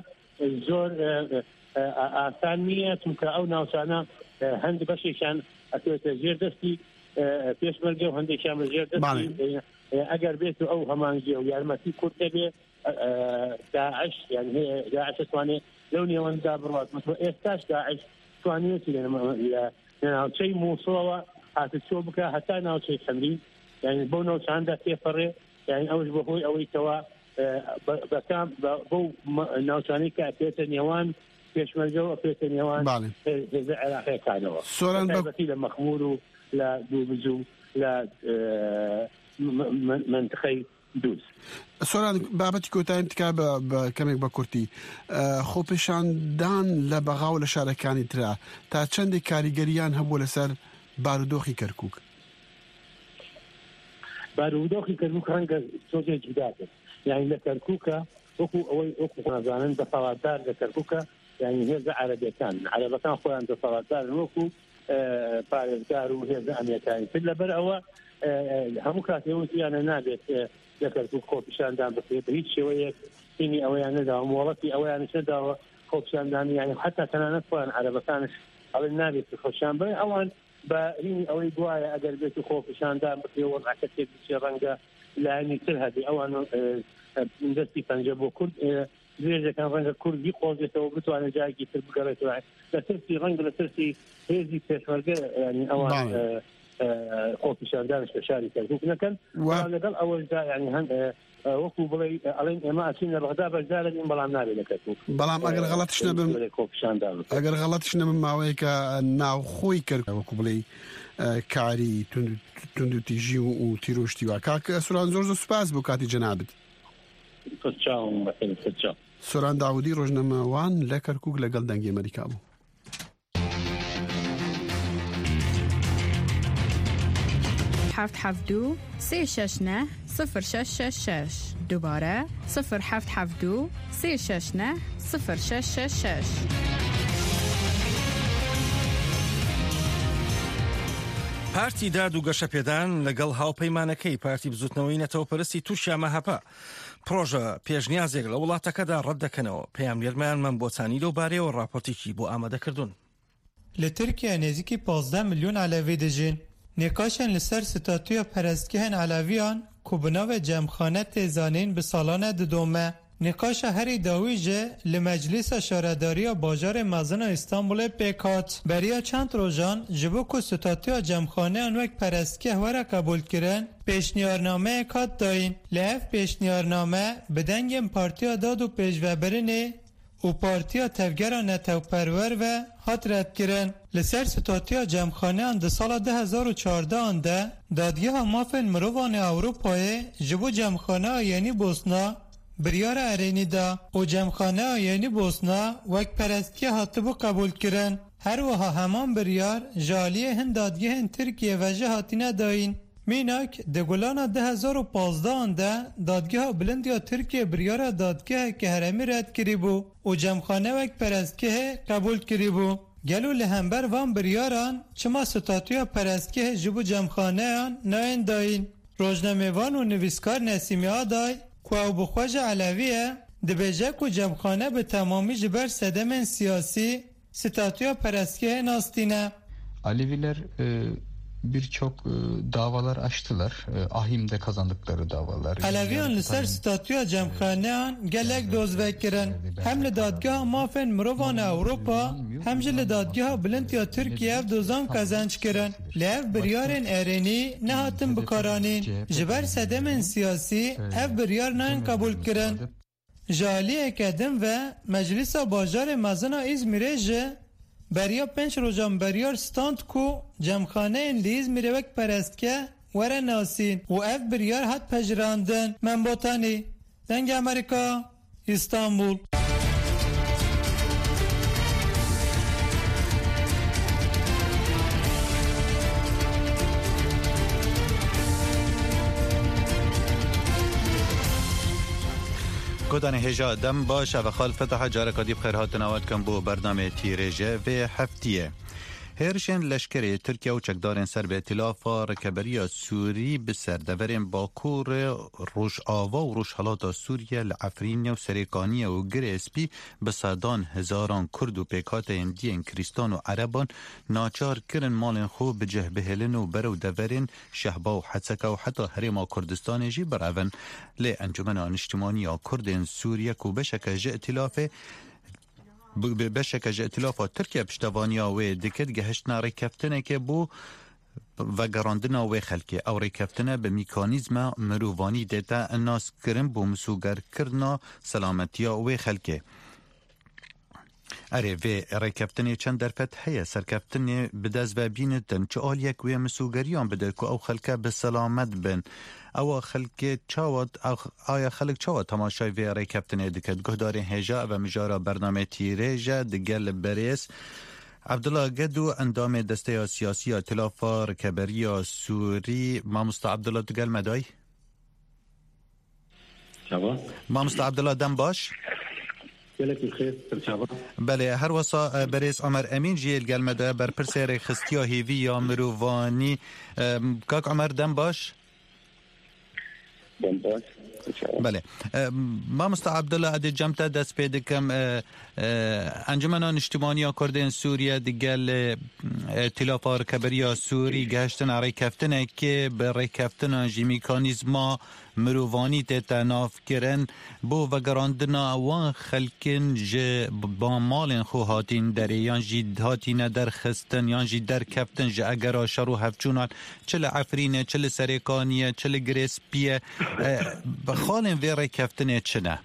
زۆر، ئە، ئە، ئە، ئاسان نییە، چونکە ئەو ناوچانە، ئە، هەند بەشێکیان ئەکەوێتە ژێر دەستی، ئە، پێشمەرگە و هەندێکیان بە ژێر دەستی، بەڵێ. ئە، ئە، ئەگەر بێت و ئەو هەمانگی و یارمەتی کورد دەبێ، ئە، ئە، داعش، یعنی هەیە داعش دەتوانێت لەو نێوەنددا بڕوات. مەسەڵەن ئێستاش داعش توانیوێتی لە نێ-، لە، لە ناوچەی موسڵەوە هاتوچۆ بکە هەتا ناوچەی خەمرین، یعنی بەو ناوچاندا تێپەڕێ، یعنی ئەوش بە هۆی ئەوەی کەوا، ئە، بە، بە کام، بە، بەو مە-، ناوچانەی کە ئەکرێتە نێوان پێشمەرگە و ئەکرێتە نێوان بەڵێ. هێ-، هێزە عێراقیەکانەوە. سۆران بە بە تایبەتی لە مەخمور و لە دووبز و لە، ئە، م-، م-، منتخەی دووز. سۆران، بابەتی کۆتاییم تکا بە، بە کەمێک بە کورتی. ئە، خۆپێشاندان لە بەغا و لە شارەکانی ترا تا چەندێک کاریگەریان هەبوو لەسەر بارودۆخی کەرکووک؟ بارودۆخی کەرکووک ڕەنگە تۆزێ جودا بێت. یعنی لە کەرکووکە وەکو ئەوەی وەکو نازانن دەسەڵاتدار لە کەرکووکە، یعنی هێزە عەرەبیەکان، عەرەبەکان خۆیان دەسەڵاتدارن وەکو، ئە، پارێزگار و هێزە ئەمنیەکانی تر. لەبەر ئەوە، ئە، ئە، هەموو کاتێ وتیانە نابێت، ئە، لە کەرکووک خۆپیشاندان بکرێت بە هیچ شێوەیەک. هینی ئەوەیان نەداوە، مۆڵەتی ئەوەیان نەداوە خۆپیشاندان، یعنی حتا تەنانەت خۆیان عەرەبەکانش ئەڵێن نابێت خۆپیشان بن. ئەوان بە هینی ئەوەی گوایە ئەگەر بێت و خۆپیشاندان بکرێت و وەزعەکە تێک بچێ، ڕەنگە لایەنی تر هەبێ. ئەوان، ئە، ئە، دەستی پەنجە بۆ کورد، ئە، درێژەکان ڕەنگە کورد بیقۆزێتەوە، بتوانێت جارێکی تر بگەڕێتەوە. لە ترسی، ڕەنگە لە ترسی هێزی پێشمەرگە، یعنی ئەوان، بەڵێ. ئە، ئە، خۆپیشاندانش لە شاری کەرکووک نەکەن. و بەڵام لەگەڵ ئەوەشدا، یعنی هەن، ئە، ئە، وەکو بڵێ، ئە، ئەڵێن ئێمە ئەچین لە بەغدا بەشدارە بین، بەڵام نابێت لە کەرکووک، بەڵام ئەگەر ئە، غەڵەتیش نەبم، بڵێ خۆپیشاندان بکەن. ئەگەر غەڵەتیش نەبم، ماوەیەکە ناوخۆی کەرکووک، وەکو بڵێ، ئە، کاری توند، توند و تیژی و، و تیرۆشتی وا. کاک سوران، زۆر زۆر سوپاس بۆ کاتی جەنابت. سەرچاوم بەخێر، سەرچاو. سۆران داودی، ڕۆژنامەوان لە کەرکووک، لەگەڵ دەنگی ئەمریکا بوو. هەفت هەفت دوو، سێ شەش نە، سفر شەش شەش شەش. دووبارە، سفر هەفت هەفت دوو، سێ شەش نە، سفر شەش شەش شەش. پارتی داد و گەشەپێدان لەگەڵ هاوپەیمانەکەی پارتی بزوتنەوەی نەتەوەپەرستی تورکیا، مەهەپە، پرۆژە پێشنیازێک لە وڵاتەکەدا ڕەت دەکەنەوە. پەیامنێرمان مەمبۆچانی لەو بارەیەوە ڕاپۆرتێکی بۆ ئامادە کردوون. لە تورکیا نێزیکی پازدeh milyon Elewî dijîn. Nîqaşên li ser statûya perestgehên Elewiyan ku bi navê Cemxane tê zanîn bi salan e didome. Nîqaşa herî dawî jî li Meclîsa Şaredariya Bajarê Mezin a Îstanbulê pêk hat. Beriya çend rojan ji bo ku statûya cemxaneyan wek perestgeh were qebûlkirin, pêşniyarnameyek hat dayîn. Lê ev pêşniyarname bi dengên Partiya Dad û Pêşvebirinê û Partiya Tevgera Netewperwer ve hat redkirin. Li ser statûya cemxaneyan di sala du hezar û çardeh an de Dadgeha Mafên Mirovan ê Ewropayê ji bo Cemxaneya Yenî Bosna biryara erênî da û Cemxaneya Yenî Bosna wek perestgeh hatibû qebûlkirin. Her wiha heman biryar ji aliyê hin dadgehên Tirkiyê ve jî hatine dayîn. Mînak, di Gulana du hezar û pazdeh an de Dadgeha Bilind ya Tirkiyê biryara dadgeheke herêmî red kirîbû û cemxane wek perestgehê qebûl kirîbû. Gelo li hember van biryaran çima statûya perestgehê ji bo cemxaneyan nayên dayîn? Rojnamevan û nivîskar Nesîmî Aday, ku ew bi xwe jî Elewî ye, dibêje ku cemxane bi temamî ji ber sedemên siyasî, statûya perestgehê nas tîne. Aleviler, e, birçok, e, davalar açtılar. E, ahimde kazandıkları davalar. Eleviyan li ser statûya cemxaneyan gelek doz vekirin. Hem li Dadgeha Mafên Mirovan a Ewropa, hem jî li Dadgeha Bilind ya Tirkiye ev dozan qezenc kirin. Lê ev biryarên erênî nehatin bikaranîn. Ji ber sedemên siyasî ev biryar nayên qebûlkirin. Ji aliyeke din ve Meclîsa Bajarê Mezin a Îzmîrê jî beriya pênc rojan beryar stand ku cemxaneyên li Îzmîrê wek perestgeh were nasîn û ev biryar hat pejirandin. Mem Botanî, Dengê Amerîka, Îstanbul. Godanê hêja dem baş, ev e Xalid Fetah, careka dî bi xêr hatin awa dikim bo bernamê Tîrêje vê heftiyê. Hêrişên leşkerê Tirkiye û çekdarên ser bi Îtilafa Rêkeberiya Sûrî bi ser deverên Bakur, Rojava û Rojhelata Sûriye li Efrînê û Serêkaniyê û Girê Spî bi sedan hezaran Kurd û pêkhateyên diyên Krîstan û Ereban naçar kirin malên xwe bi cih bihêlin û berew deverên Şehba û Heseka û heta Herêma Kurdistanê jî birevin. Lê Encumena Niştimanî ya Kurdên Sûriye ku beşeke ji îtilafê bi, bi beşeke ji îtilafa Tirkiye piştevaniya wê dikit, gehiştina rêkeftinekê bo vegerandina wê xelkê. Ew rêkeftine bi mîkanîzma mirovanî tête naskirin bo misûgerkirina selametiya wê xelkê. Erê, vê rêkeftinê çend derfet heye, serkeftinê bi dest ve bînitin, çi aliyek wê misûgeriyan bide ku ew xelke bi selamet bin. Ewa xelkê çawa, aya xelk çawa temaşayê vê rêkeftinê dikit? Guhdarên hêja, ev e mijara bernameyê Tîrêj e, digel berêz Abdullah Gedu, endamê Desteya Siyasî ya Îtilafa Rikeberiya Sûrî. Mamosta Abdullah, tu gel me day? Çava? Mamosta Abdullah, dem baş. Gelek bi xêr, çava? Belê, her wesa, e, berêz Omer Emîn jî yê li gel me de, berpirsê rêxistiya hêvî ya mirovanî. E, Kak Omer, dem baş. Dem baş. Belê. E, Mamosta Abdullah, ez ê cem te dest pê dikim. E, e, Encumena Niştimanî ya Kurdên Sûriye digel, e, e, Îtilafa Rikeberiya Sûrî gehiştine rêkeftinekê, bi rêkeftinan jî mîkanîzma mirovanî tête navkirin. Bo vegerandina wan xelkin ji ba malên xwe hatîn derê, yan jî hatîne derxistin, yan jî derkeftin ji egera şer û hevçûnan, çi li Efrînê, çi li Serêkaniyê, çi li Girê Spî ye, e, xalên vê rêkeftinê çi ne?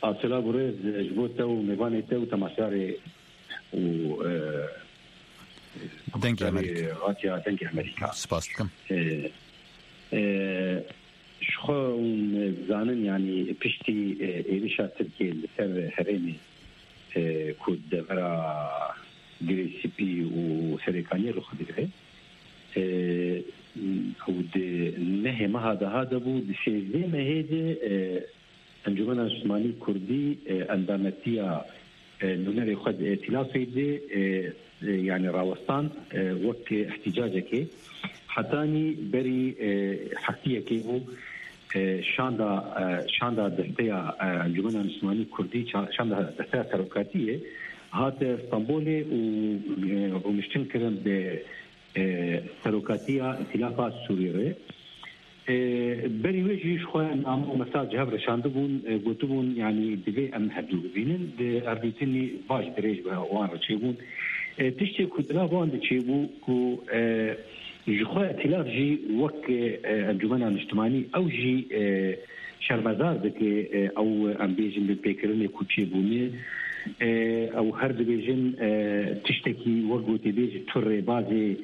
Asela gurê ji bo te û mêvanê te û temaşarê û, e, Dengê Amerîka. Radiya Dengê Amerîka. Spas dikim. E, e, ji xwe hûn dizanin, yanî piştî, e, êrişa Tirkiyê li ser herêmê, e, ku devera Girê Spî û Serêkaniyê rû xwe digire, e, û di nehê meha daha de bû, di sêzdeh mehê de, e, Encûmena Niştimanî Kurdî, e, endametiya, e, nûnerê xwe di îtilafê de, e, e, yanî rawestan, e, wek îhtîcacekê. Hetanî berî, e, heftiyekê bû, e, şanda, e, şanda desteya, e, Encûmena Niştimanî Kurdî, ça-, şanda desteya serokatiyê hate Stenbolê û, e, rûniştin kirin bi e, serokatiya Îtîlafa Sûrî re. E, berî wê jî ji xwe name û mesaj ji hev re şandibûn, e, gotibûn, yanî divê em hevdû bibînin. Di hevdîtinî baş dirêj bi wan re çêbûn. E, tiştê ku di nav wan de çêbû ku, e, ji xwe Îtîlaf jî wek, e, Encûmena Niştimanî ew jî, e, şermezar dike, e, ew, em bêjin, binpêkirinê ku çêbûne. E, ew her dibêjin, e, tiştekî wek gotê bêjî tu rêbazê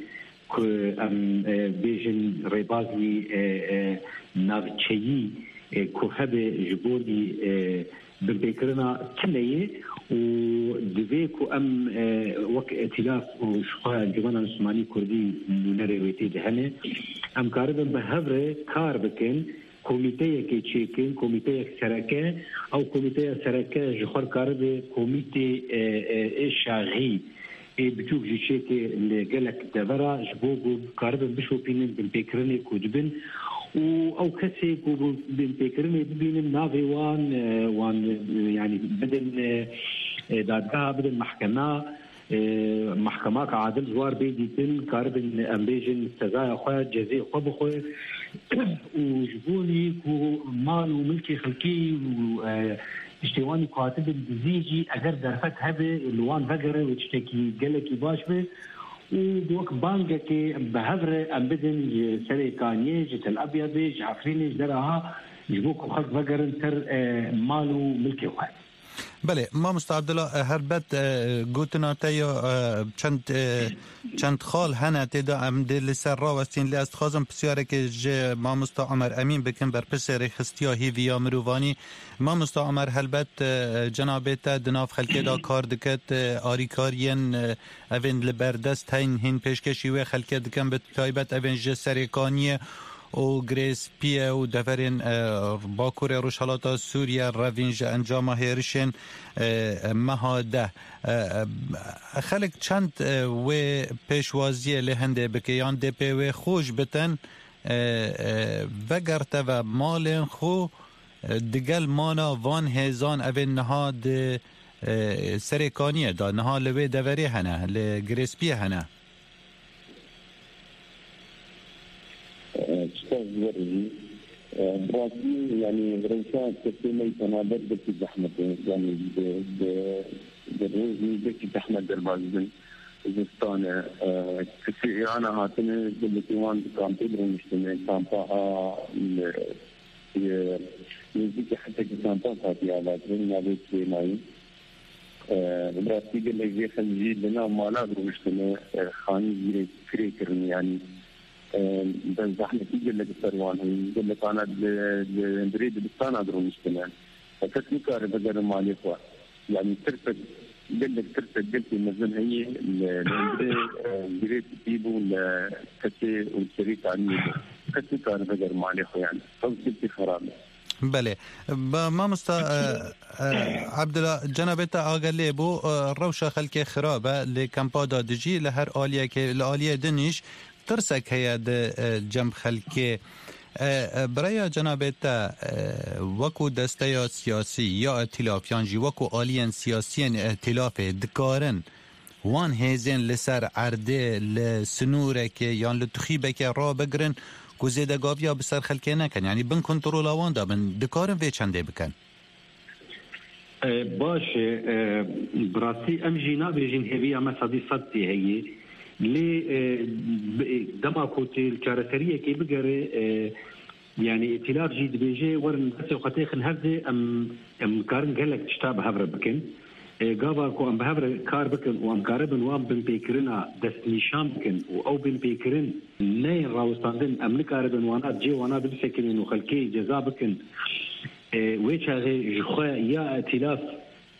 ku em, e, bêjin rêbazî, e, e, navçeyî, e, ku hebe ji borî, e, binpêkirina tune ye û divê ku em, e, wek îtîlaf û ji xwe Encûmena Niştimanî Kurdî nûnerê wê tê de hene, em karibin bi hev re kar bikin. Komîteyekê çêkin, komîteyek sereke, ew komîteya sereke ji xwe karibe komîtê, e, e, ê şaxî, ê biçûk jî çêke li gelek devera, ji bo ku karibin bişopînin binpêkirinê ku dibin û ew kesê ku bi-, binpêkirinê bibînin navê wan, e, wan, e, yanî bidin, e, e, dadgeha, bidin mehkema. E, mehkemaka adil ji war bê dîtin, karibin em bêjin sezaya xwe, cezê xwe bixwe û ji bo wî ku mal û milkê xelkê û, e, tiştê wanî ku hatibin dizî jî eger derfet hebe li wan vegere wê tiştekî gelekî baş be û wek bangekê bi hev re em bidin ji Serêkaniyê, ji Tel Abyadê, ji Efrînê, ji deraha ji bo ku xelk vegerin ser, e, mal û milkê xwe. Belê, Mamosta Abdullah, e, helbet, e, gotina te ya, e, çend, e, çend xal hene tê de em dê li ser rawestîn, lê ez dixwazim pisyareke ji Mamosta Omer Emîn bikim, berpirsê rêxistiya hêvî ya mirovanî. Mamosta Omer, helbet, e, cenabê te di nav xelkê de kar dikit, e, arîkariyên, e, evên li berdest heyn hîn pêşkêşî wê xelkê dikin, bi taybet evên ji Serêkaniyê û Girêspiye û deverên, e, Bakurê Rojhelata Sûriye revîn ji encama hêrişên, e, meha deh. E, e, xelk çend, e, wê pêşwaziyê li hindê bike yan dê pê wê xwe ji bitin, e, e, vegerteve malên xwe, e, digel mana van hêzan evên niha di, e, Serêkaniyê de, niha li wê deverê hene, li Girêspiyê hene. Spas ji we re jî. Bi rastî, yanî, rewşa kesê me yî penaber gelkî zehmet e. Yanî, di, di, di rojî gelkî zehmet derbas bin. Zistan e. Kesê Îrana hatine, gelekî wan di kampê de rûniştine. Kampa a, li, li, nêzîkî hetekî kampa hatiye avakirin, navê Kirênayî. E, bi rastî gelek jê xelk jî li nav mala girûştine, e, xanî jî kirê kirine, yanî, e, bi zehmetî gelek ser wan heye. Gelek ana li, li, li rê dibistana girûştine. E, kes nikare bigere malê xwe. Yanî tirsek, gelek tirsek gelkî mezin heye li, li hundirê, e, girê tî bû li kesê û serê kaniyê bû. Kes nikare bigere malê xwe, yanî. Ew gelkî xerab e. Belê. Ba, mamosta, e, e, Abdullah, cenabê te agah lê bû, e, rewşa xelkê xirab e, lê kampa da dijî, li her aliyekê, li aliyê din îş tirsek heye di, e, cem xelkê. E, e, bi raya cenabê te, e, wekû desteya siyasî ya îtîlaf yan jî wekû aliyên siyasiyên îtîlafê dikarin wan hêzên li ser erdê, li sinûrekê yan li tixîbekê rabigirin ku zêdegaviya bi ser xelkê nekin, yanî bin kontrola wan de bin, dikarin vê çendê bikin? E, baş e, e, bi rastî em jî nabêjin hêviya me sedî sed tê heye. Lê, e, bi, dema ku tê li çareseriyekê bigere, e, Yanî, îtîlaf jî dibêje, werin destê xwe têxin hev de, em, em karin gelek tişta bi hev re bikin. E, gava ku em bi hev re kar bikin û em karibin wan binpêkirina destnîşan bikin û ew binpêkirin neyên rawestandin, em nikaribin wana cê wana bibisekinin û xelkê ceza bikin. E, wê çaxê ji xwe ya îtîlaf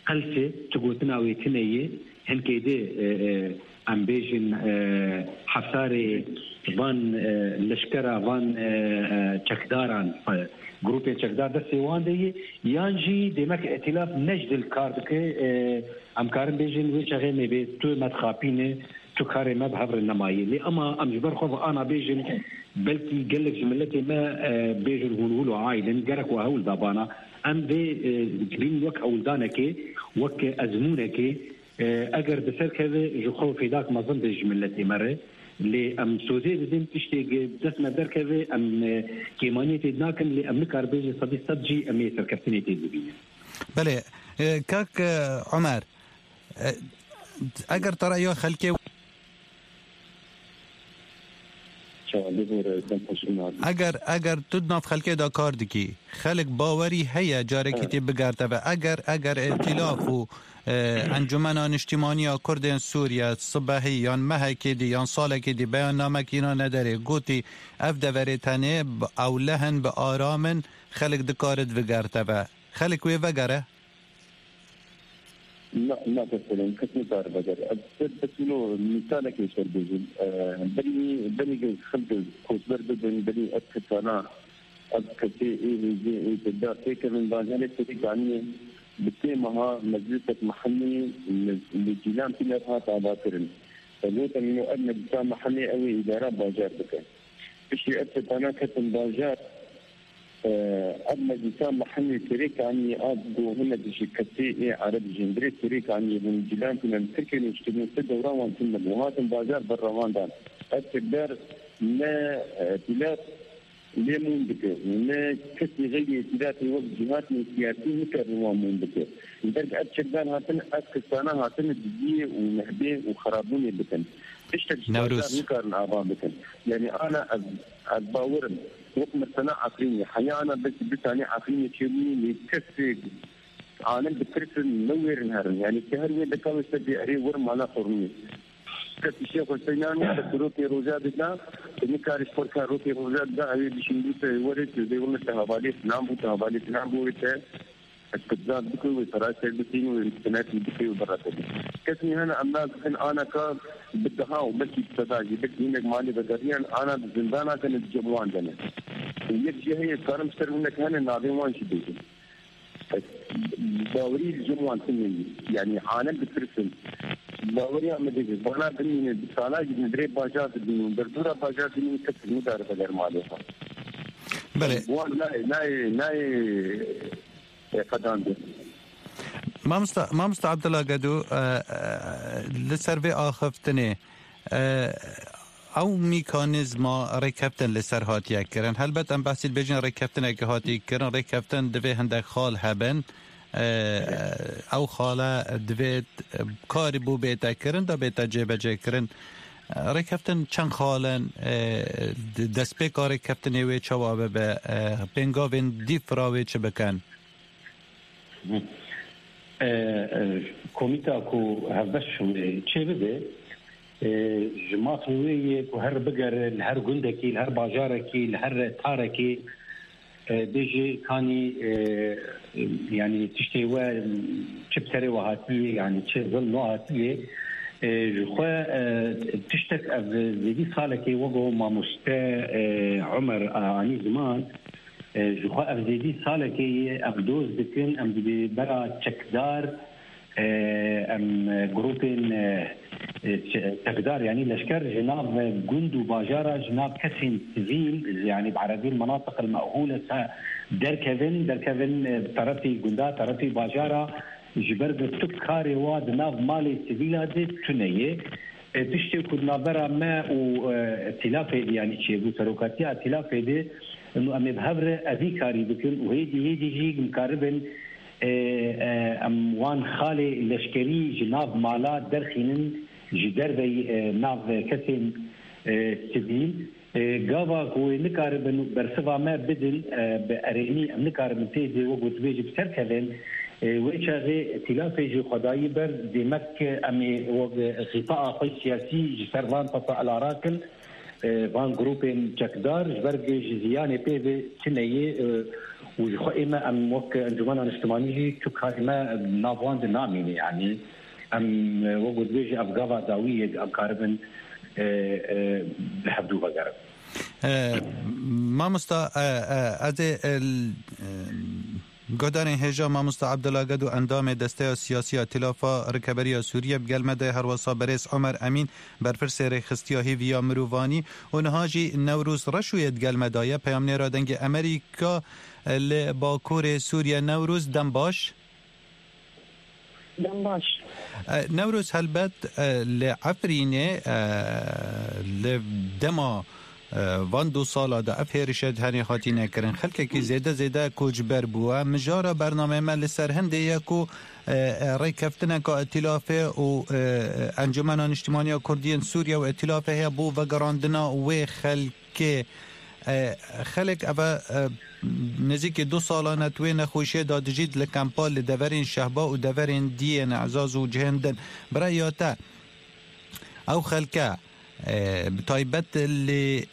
Qelse, tu gotina wê tune ye, hinkê de, e, e, em bêjin, e, hefsarê van, e, leşkera, van, e, e, çekdaran, e, grûpên çekdar destê wan de ye, yan jî demek îtîlaf ne ji dil kar dike, e, em karin bêjin wê çaxê me bê tu me dixapîne, tu karê me bi hev re nemaye. Lê ema em ji ber xwe ve ana bêjin, belkî gelek ji miletê me, e, bêjin hûn hûl û aîl in, gerek we hewl da bana. Em vê, e, dibînin wek hewldanekê, wek ezmûnekê, e, eger bi ser keve ji xwe fêdak mezin be ji miletê me re. Lê em sozê didin tiştê dest me derkeve, em, e, kêmaniyê tê nakin, lê em nikaribin ji sedî sed jî em ê serkeftinê tê bibînin. Belê, e, kak, e, Omer, e, eger te reya xelkê Çawa bibore, dem xweş û nazik. Eger, eger tu di nav xelkê de kar dikî, xelk bawerî heye carekî Ha. tê bigerte ve. Eger, eger îtîlaf û, e, Encumena Niştîmaniya Kurdên Sûriye sibehî yan mehekê dî yan salekê dî beyannamekî nane derê, gotî ev deverê tenê bi ewleh in, bi aram in, xelk dikare divigerte ve. Xelk wê vegere? Na, nake sêlên kes nikare vegere. Ez ser tesûlo mîsalekê ser bêjim. E, berî, berî xelk koçber bibin, berî ev kesana, ev kesê ê hêzê ê tevda têkevin bajarê Serêkaniyê bi sê meha meclisek mehellî li, li Cîlan Pîler hat avakirin. Ez gotim, ino ev meclisa mehellî ew ê îdara bajar bike. Piştî ev kesana ketin bajar, Ev meclisa mehellê Serêkaniyê a ku hûn ne dişî kesê ê ereb ji hundirê Serêkaniyê bûn, Cîlan tune li Tirkiyê niştibûn, ti dewra wan tune bû, hatin bajar berra wan dan. Ev çekdar ne, e, îtîlaf lê mûn dike û ne kesî xeyrî îtîlafê wek cîhatên siyasî nikare wan mûn bike. Li ber ev çekdar hatin, ev kistana hatine diziyê û nehbê û xerabûnê bikin. Tiştek ji Newroz. Bajar nikarin ava bikin. Yanî ana ez, ez bawer im. Wek mesela Efrînê. Heya ana belkî du tanê Efrînê çêbûyî, lê kesê alim ditirsin, newêrin herin. Yanî ti her wê deka wê ser bê erê wir mala xwe rûnê. Kes îşê xwe sey nanê, kes rokê roja dida, tu nikarî ji xwe re rokê roja dida, ew ê bişîn bû te werê, tu dê wile te hevalê filan bû, te hevalê filan bû, wê te Îstibdad bike, wê serayê ser bikîn, wê mistenetî bike û berre bike. Kesî hene em nazikin aneka bi deha û belkî bi seda jî, belkî hinek malê vegeriyan, ana di zindana de ne, di cem wan de ne. Û yek jî heye, karim ser hinek hene navê wan jî bêjim. Bawerî li cem wan tune ye. Yanî alem ditirsin. Baweriya me dê ji vana bimîne, bi sala jî li vê bajar dibînin, derdora bajar dibînin, kes nikare veger malê xwe. Belê. Wan nayê, nayê, nayê, e, qedandin. Mamosta, Mamosta Abdullah Gedo, e, e, li ser vê axiftinê, e, ew mîkanîzma rêkeftin li ser hatiye kirin. Helbet em behsî dibêjin rêkeftinekê hatiye kirin. Rêkeftin divê hindek xal hebin. E, ew xale divê karî bû bête kirin, da bête cêbecê kirin. Rêkeftin çend xal in, e, destpêka rêkeftinê wê çawa bibe, e, pêngavên dî fira wê çi bikin? E, e, komîta ku hevbeş wê çêbibe, e, ji mafê wê yê ku her bigere li her gundekî, li her bajarekî, li her tarekî, e, bêjê kanî, e, yanî tiştê we çi bi serê we hatiye, yanî çi zilm we hatiye, e, ji xwe, e, tiştek ev zêdî salekê wego mamoste, e, Omer, e, anî ziman, e, ji xwe ev zêdî salekê ye, ev doz dikin, em dibê bera çekdar, e, em, e, grûpên, e, e, çe-, çekdar, yanî leşker ji nav gund û bajara, ji nav kesên sivîl, yanî bi erebî menatiq el me'hûle se-, derkevin, derkevin, e, terefî gunda, terefî bajara, ji ber ku tu karê wa di nav malê sivîla de tune ye. E, tiştê ku di navbera me û, e, Tîlafê de, yanî çêbû serokatiya Tîlafê de, û em ê bi hev re evî karî bikin û hêdî hêdî jî em karibin, e, e, em wan xalê leşkerî ji nav mala derxînin, ji derveyî, e, nav kesên, e, sivîl. E, gava ku wê nikaribin bersiva me bidin, e, bi erênî em nikaribin tê de wek dibêjî bi ser kevin, e, wê çaxê Tîlafê jî xwedayî ber, demek em ê wek xîtaa xwe siyasî ji ser van pesa elarakin, e, van grûpên çekdar, ji ber ku ji ziyanê pê ve tune ye, e, û ji xwe ême em wek Encûmena Niştimanî jî tu karê me nav wan de namîne, yanî em, e, wek dibêjî ev gava dawî ye, em karibin, e, e, bi hevdû vegerin. E, mamosta, e, e, ez ê, e, l-, e, Guhdarên hêja, Mamosta Abdullah Gedo, endamê Desteya Siyasî ya Tîlafa Rikeberiya Sûriye, bi gel me de, herwesa berêz Omer Emîn, berpirsê rêxistiya hêvî ya mirovanî, û niha jî Newroz Reşû yê di gel me de ye, peyamnêra Dengê Amerîka li Bakurê Sûriye. Newroz, dem baş. Dem baş. E, Newroz, helbet, e, li Efrînê, e, li dema, e, van du sala de ev hêrişe di herê hatîne kirin, xelkekî zêde zêde koçber bûye. Mijara bernameyê me li ser hindê ye ku, e, e, rêkeftineka Îtîlafê û, e, Encûmena Niştimanî ya Kurdî yên Sûriye û Îtîlafê heye bo vegerandina wê xelk- kê, e, xelk eve, e, nêzîkî du salan e di wê nexweşiyê de dijî, li kempa li deverên Şehba û deverên dî yên Ezaz û cihên din. Bi raya te, ew xelke, e, bi taybet li,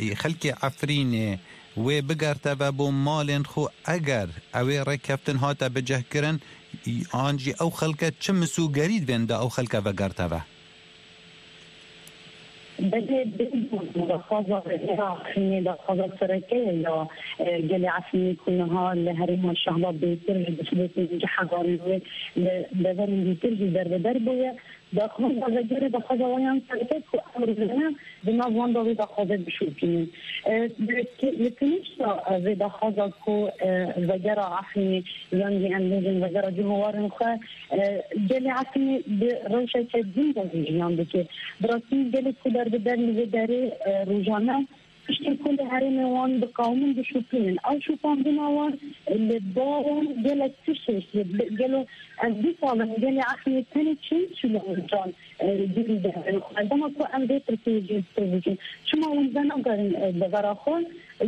e, xelkê Efrînê wê bigerteve bo malên xwe, eger ew ê rêkeftin hate bicihkirin, an jî ew xelke çi misûgerî divên de ew xelke vegerteve? Belê, belê, daxwaza Efrînê daxwaza sereke ye ya, e, gelê Efrînê ku niha li herêma Şehba bêtir ji destpêkên cihê hevalên wê li deverên dîtir jî derbeder bûye. Daxwaza vegerê daxwaza wan ya sereke ku em rojane di nav wan de wê daxwazê bişopînin. E, li, li tenişta vê daxwaza ku, e, vegera Efrînê, yan jî em bêjin vegera cihê warên xwe, e, gelê Efrînê bi rewşeke din de jî jiyan dike. Bi rastî gelek ku derbeder li vê derê, e, rojane tiştên ku li herêmê wan diqewimin dişopînin. Ew şopandina wan, e, li ba wan gelek tiştê, gelo ev du sal in gelê Efrînê tenê çend kîlometran, e, dûrî de herin xwe. Dema ku em vê pirsê jî li ser bikin, çima hûn venakarin, e, devera xwe?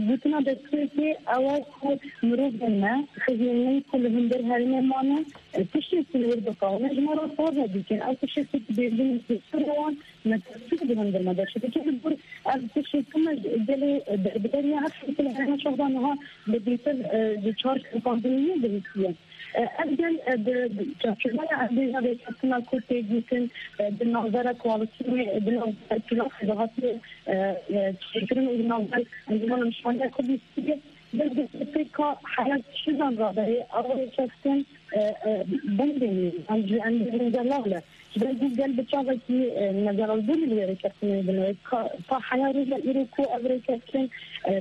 Gotina destpêkê ew e ku mirovên me, xizmên me ku li hundir herêmê mane, e, tiştê ku li wir diqewime ji me re saz e dikin. Ew tiştê ku dibêjin li ser wan, me tespît di hundir me de çi dike. Li gor ev tiştê ku me ji gelê derbeder ya her tiştê li herêma Şehba niha bi bêtir, e, ji çar şopandinê yê bihîstiye. E, Ev gel, e, di, di çarçoveya ev bêja rêkeftina ku tê gotin, e, di navbera koalîsyonê, e, di navbera îtîlafê de hatiye, e, e, çêkirin û di navber Encûmena Niştimanî ya Kurdî Sûriyê, bi destpêka heya kîjan radeyê ew rêkeftin, e, e, bendê ne, yan jî em bêjin zelal e. Ji ber ku gel bi çavekî, e, nezelalbûnê li wê rêkeftinê dine. Ka, ta heya roja îro ku ev rêkeftin, e,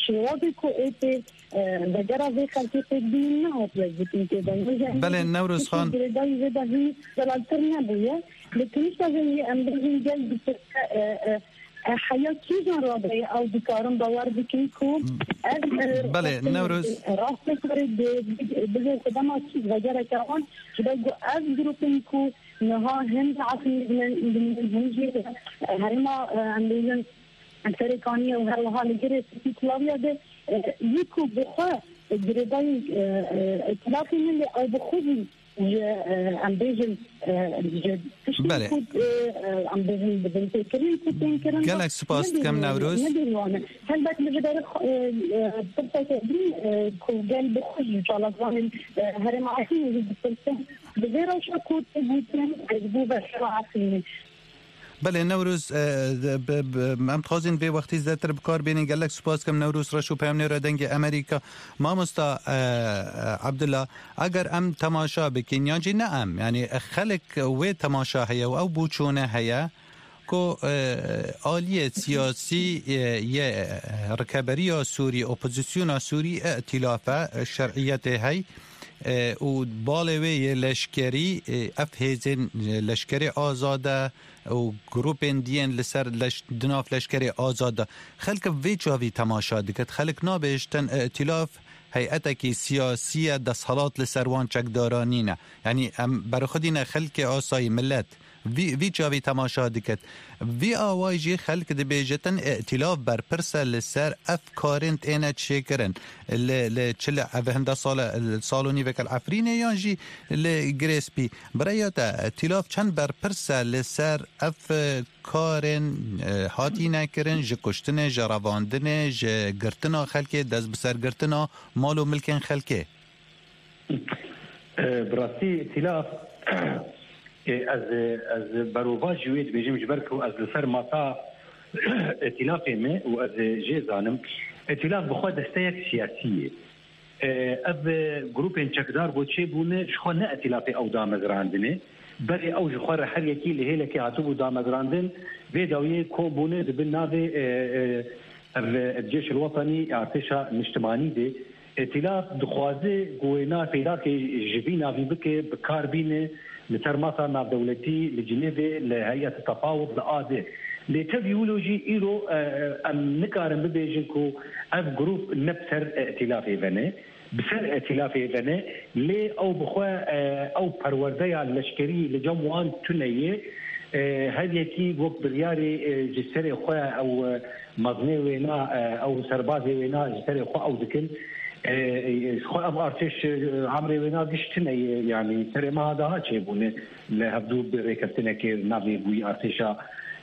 şêwazê ku ê tê, e, vegera vê xelkê pêk bînin nehatiye gotin tê de. Belê, Newroz Xan. Girêdayî vê de hîn zelaltir nebûye. Li Tunîsa jî em bêjin gel dipirse, e, e, e, heya kîjan radeyê ew dikarin bawer bikin ku ev, e, Belê, rastê, Newroz. Rastê karê bi, bi, bibê sedema kî vegereke wan, ji ber ku ev grûpên ku niha hem di Efrînê dibin, dibin hem jî, e, herêma, e, em bêjin, Serêkaniyê û her wiha li Girê Spî Tulawiya de, e, yî ku bi xwe girêdayî, e, e, îtîlafê min lê ew bi xwe jî ji, e, em bêjin, e, ji tiştên Belê. ku, e, e, em bêjin di binpêkirîn ku tên kirin de Gelek spas dikim, nebêjin wan e, Newroz. Nebêjin wan e. Helbet li vê derê, e, e, pirseke din, e, ku gel bi xwe jî çalakvanên, e, herêma Efrînê jî dipirsin. Bi vê rewşa ku tê gotin, e, ji bo veşara Efrînê. Belê, Newroz, e, de, bi, bi, em dixwazin vê wextî zêdetir bi kar bênin. Gelek spas dikim, Newroz Reş û peyamnêra Dengê Amerîka. Mamosta, e, e, Abdullah, eger em temaşa bikin, yan jî ne em, yanî xelk wê temaşa heye û ew boçûne heye ku, e, aliyê siyasî, e, yê, e, rikeberiya Sûrî, opozisyona Sûrî, îtîlaf e, şer'iyetê hey, e, û balê wê yê leşkerî, e, ev hêzên, e, leşkerê azade, û grûpên diyên li ser leş-, di nav leşkerê azad de. Xelk vê çavî temaşa dike. Xelk nabêjtin, îtîlaf heyetekî siyasî ye, desthilat li ser wan çekdara nîne. Yanî em berxwedî ne xelkê asayî, milet. Vî, vî çavî temaşa diket. Vî awayî jî xelk dibêjitin, îtîlaf berpirs e li ser ev karên têne çêkirin. Li, li çi li ev hinde sal e, li sal û nîveke li Efrînê yan jî li Girê Spî. Bi rêya te, îtîlaf çend berpirs e li ser ev, e, karên, e, hatîne kirin, ji kuştinê, ji revandinê, ji girtina xelkê, dest bi ser girtina mal û milkên xelkê? E, bi rastî îtîlaf, e, ez, ez berovajî wê dibêjim, ji ber ku ez li ser masa îtîlafê me û ez jê zanim, îtîlaf bi xwe desteyek siyasî ye. E, ev, e, grûpên çekdar ku çêbûne, ji xwe ne îtîlafê ew damezrandine. Berê ew ji xwe re her yekî li hêlekê hatibû damezrandin, vê dawiyê kom bûne di bin navê, e, e, ev, e, Cêş el Wetanî, Artêşa Niştimanî de. Îtîlaf dixwaze ku wêna pêlakê ji vî navî bike, bi kar bîne, li ser masa navdewletî li Cinêvê, li Heyet Tefawud, li A D. Lê tevî wilo jî îro, e, e, em nikarin bibêjin ku ev grûp ne bi ser îtîlafê ve ne, bi ser îtîlafê ve ne, lê ew bi xwe, e, ew perwerdeya leşkerî li cem wan tune ye. E, her yekî wek biryarê, e, ji serê xwe ew, e, mezinê wêna, e, ew serbazê wêna ji serê xwe ew dikin. E, e, ji xwe ev artêş, e, emrê wêna giş tune ye, yanî serê meha daha çêbûne li hevdû bi rêkeftinekê navê wî artêşa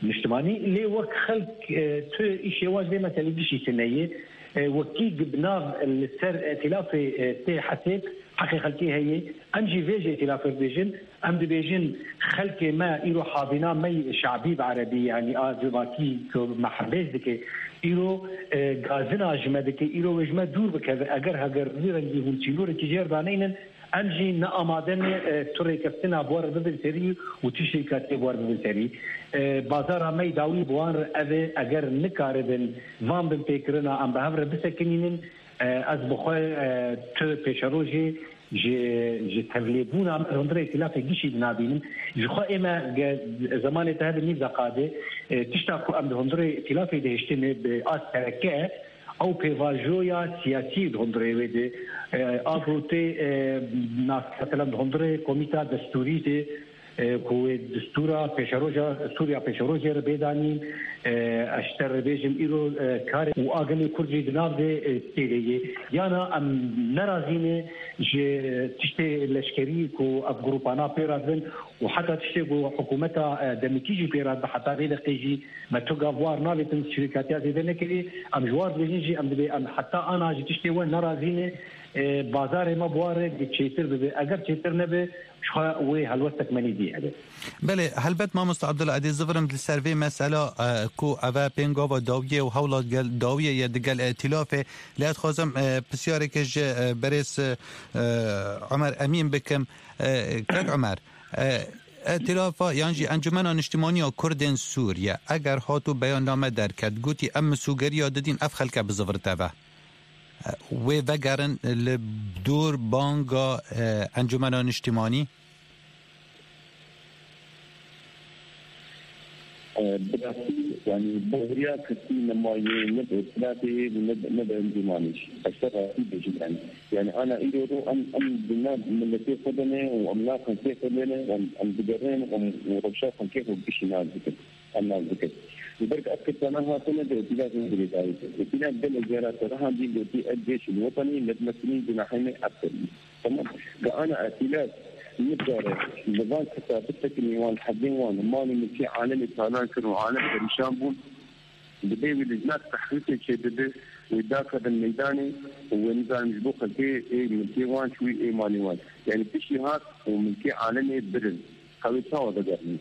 niştimanî. Lê wek xelk, e, tu îşê wan ji vê meselê gişî tune ye. E, wekî bi nav li ser îtîlafê, e, tê hesêb, heqê xelkê heye. Em jî vê ji îtîlafê dibêjin. Em dibêjin, xelkê me îro hazîna me yî şabî bi erebî, yanî a civakî ku me hembêz dike, îro, e, gazina ji me dike, îro wê ji me dûr bikeve. Eger, heger vî rengî hûn çînorekî jêr daneynin, em jî ne amade ne, e, tu rêkeftina bi we re bibin serî û tiştê katê bi we re bibin serî. E, bazara me yî dawî bi wan re ev e, eger nikaribin van binpêkirina em bi hev re bisekinînin, e, ez bi xwe, e, tu pêşerojê ji, ji tevlêbûna me li hundirê îtîlafê gişî dinabînim. Ji xwe ê me ge-, zemanê te hebe nîv deqa de, e, tişta ku em di hundirê îtîlafê de hiştine bi a sereke, ew pêvajoya siyasî di hundirê wê de, e, a ku tê, e, nas-, mesela di hundirê komîta destûrî de, e, ku wê distûra pêşeroja Sûriya pêşerojê re bêdanîn, e, ez ji te re bêjim îro, e, karê û a gelê Kurd jî di nav de, e, têlê yê. Yana em nerazî ne ji tiştê leşkerî ku ev grûpana pê re dibin û heta tiştê ku hikûmeta, e, demikî jî pê re dibe, heta vê deqê jî me tu gav war navêtin, şirîkatiya zêde nekirî. Em ji war dibêjin jî, em dibê em heta ana ji tiştê we nerazî ne, e, bazarê me bi war re çêtir bibe. Eger çêtir nebe, ji xwe wê helwestek me nî dî hebe. Belê, helbet mamoste Abdullah, ez dê zivirim li ser vê mesela, e, ku ev e pêngava dawiyê û hewla gel, dawiyê ye digel îtîlafê. Lê ez dixwazim, e, pisyareke ji, e, berêz, e, Omer Emîn bikim. E, kek Omer, e, îtîlafa yan jî Encûmena Niştimanî ya Kurdên Sûriye eger hat û beyanname derket, gotî em misûgeriya didîn, ev xelke bizivirite ve. E, wê vegerin li dor banga, e, Encûmena Niştimanî? E, bi rastî, yanî, baweriya kesî nemaye, ne bi îtîlafê û ne bi, ne bi encûmanê jî. Ez te rastî bêjim, yanî. Yanî, ana îro ro em, em di nav miletê xwe de ne û em nav xelkê xwe de ne, em, em digerin û em, û rewşa xelkê xwe gişî nas dikin. Em nas dikin. Ji ber ku ev kesana hatine de îtîlafê girêdayî kir. Îtîlaf gelek cara te rihandî gotî, ev cêşî li wetanî, lê bi metinî cenahê me ev kirî. Tamam. Ka ana îtîlaf nikare li van kesa bisekinî, wan hevdên wan mal û milkê alemê talan kir û alem perîşan bûn. Dibê wî li nav tehrîfê çêbibe, wê dakevin meydanê û wê nizanim ji bo xelkê ê milkê wan çûyî ê malê wan. Yanî piştî hat û milkê alemê birin. Ka wê çawa vegerîne?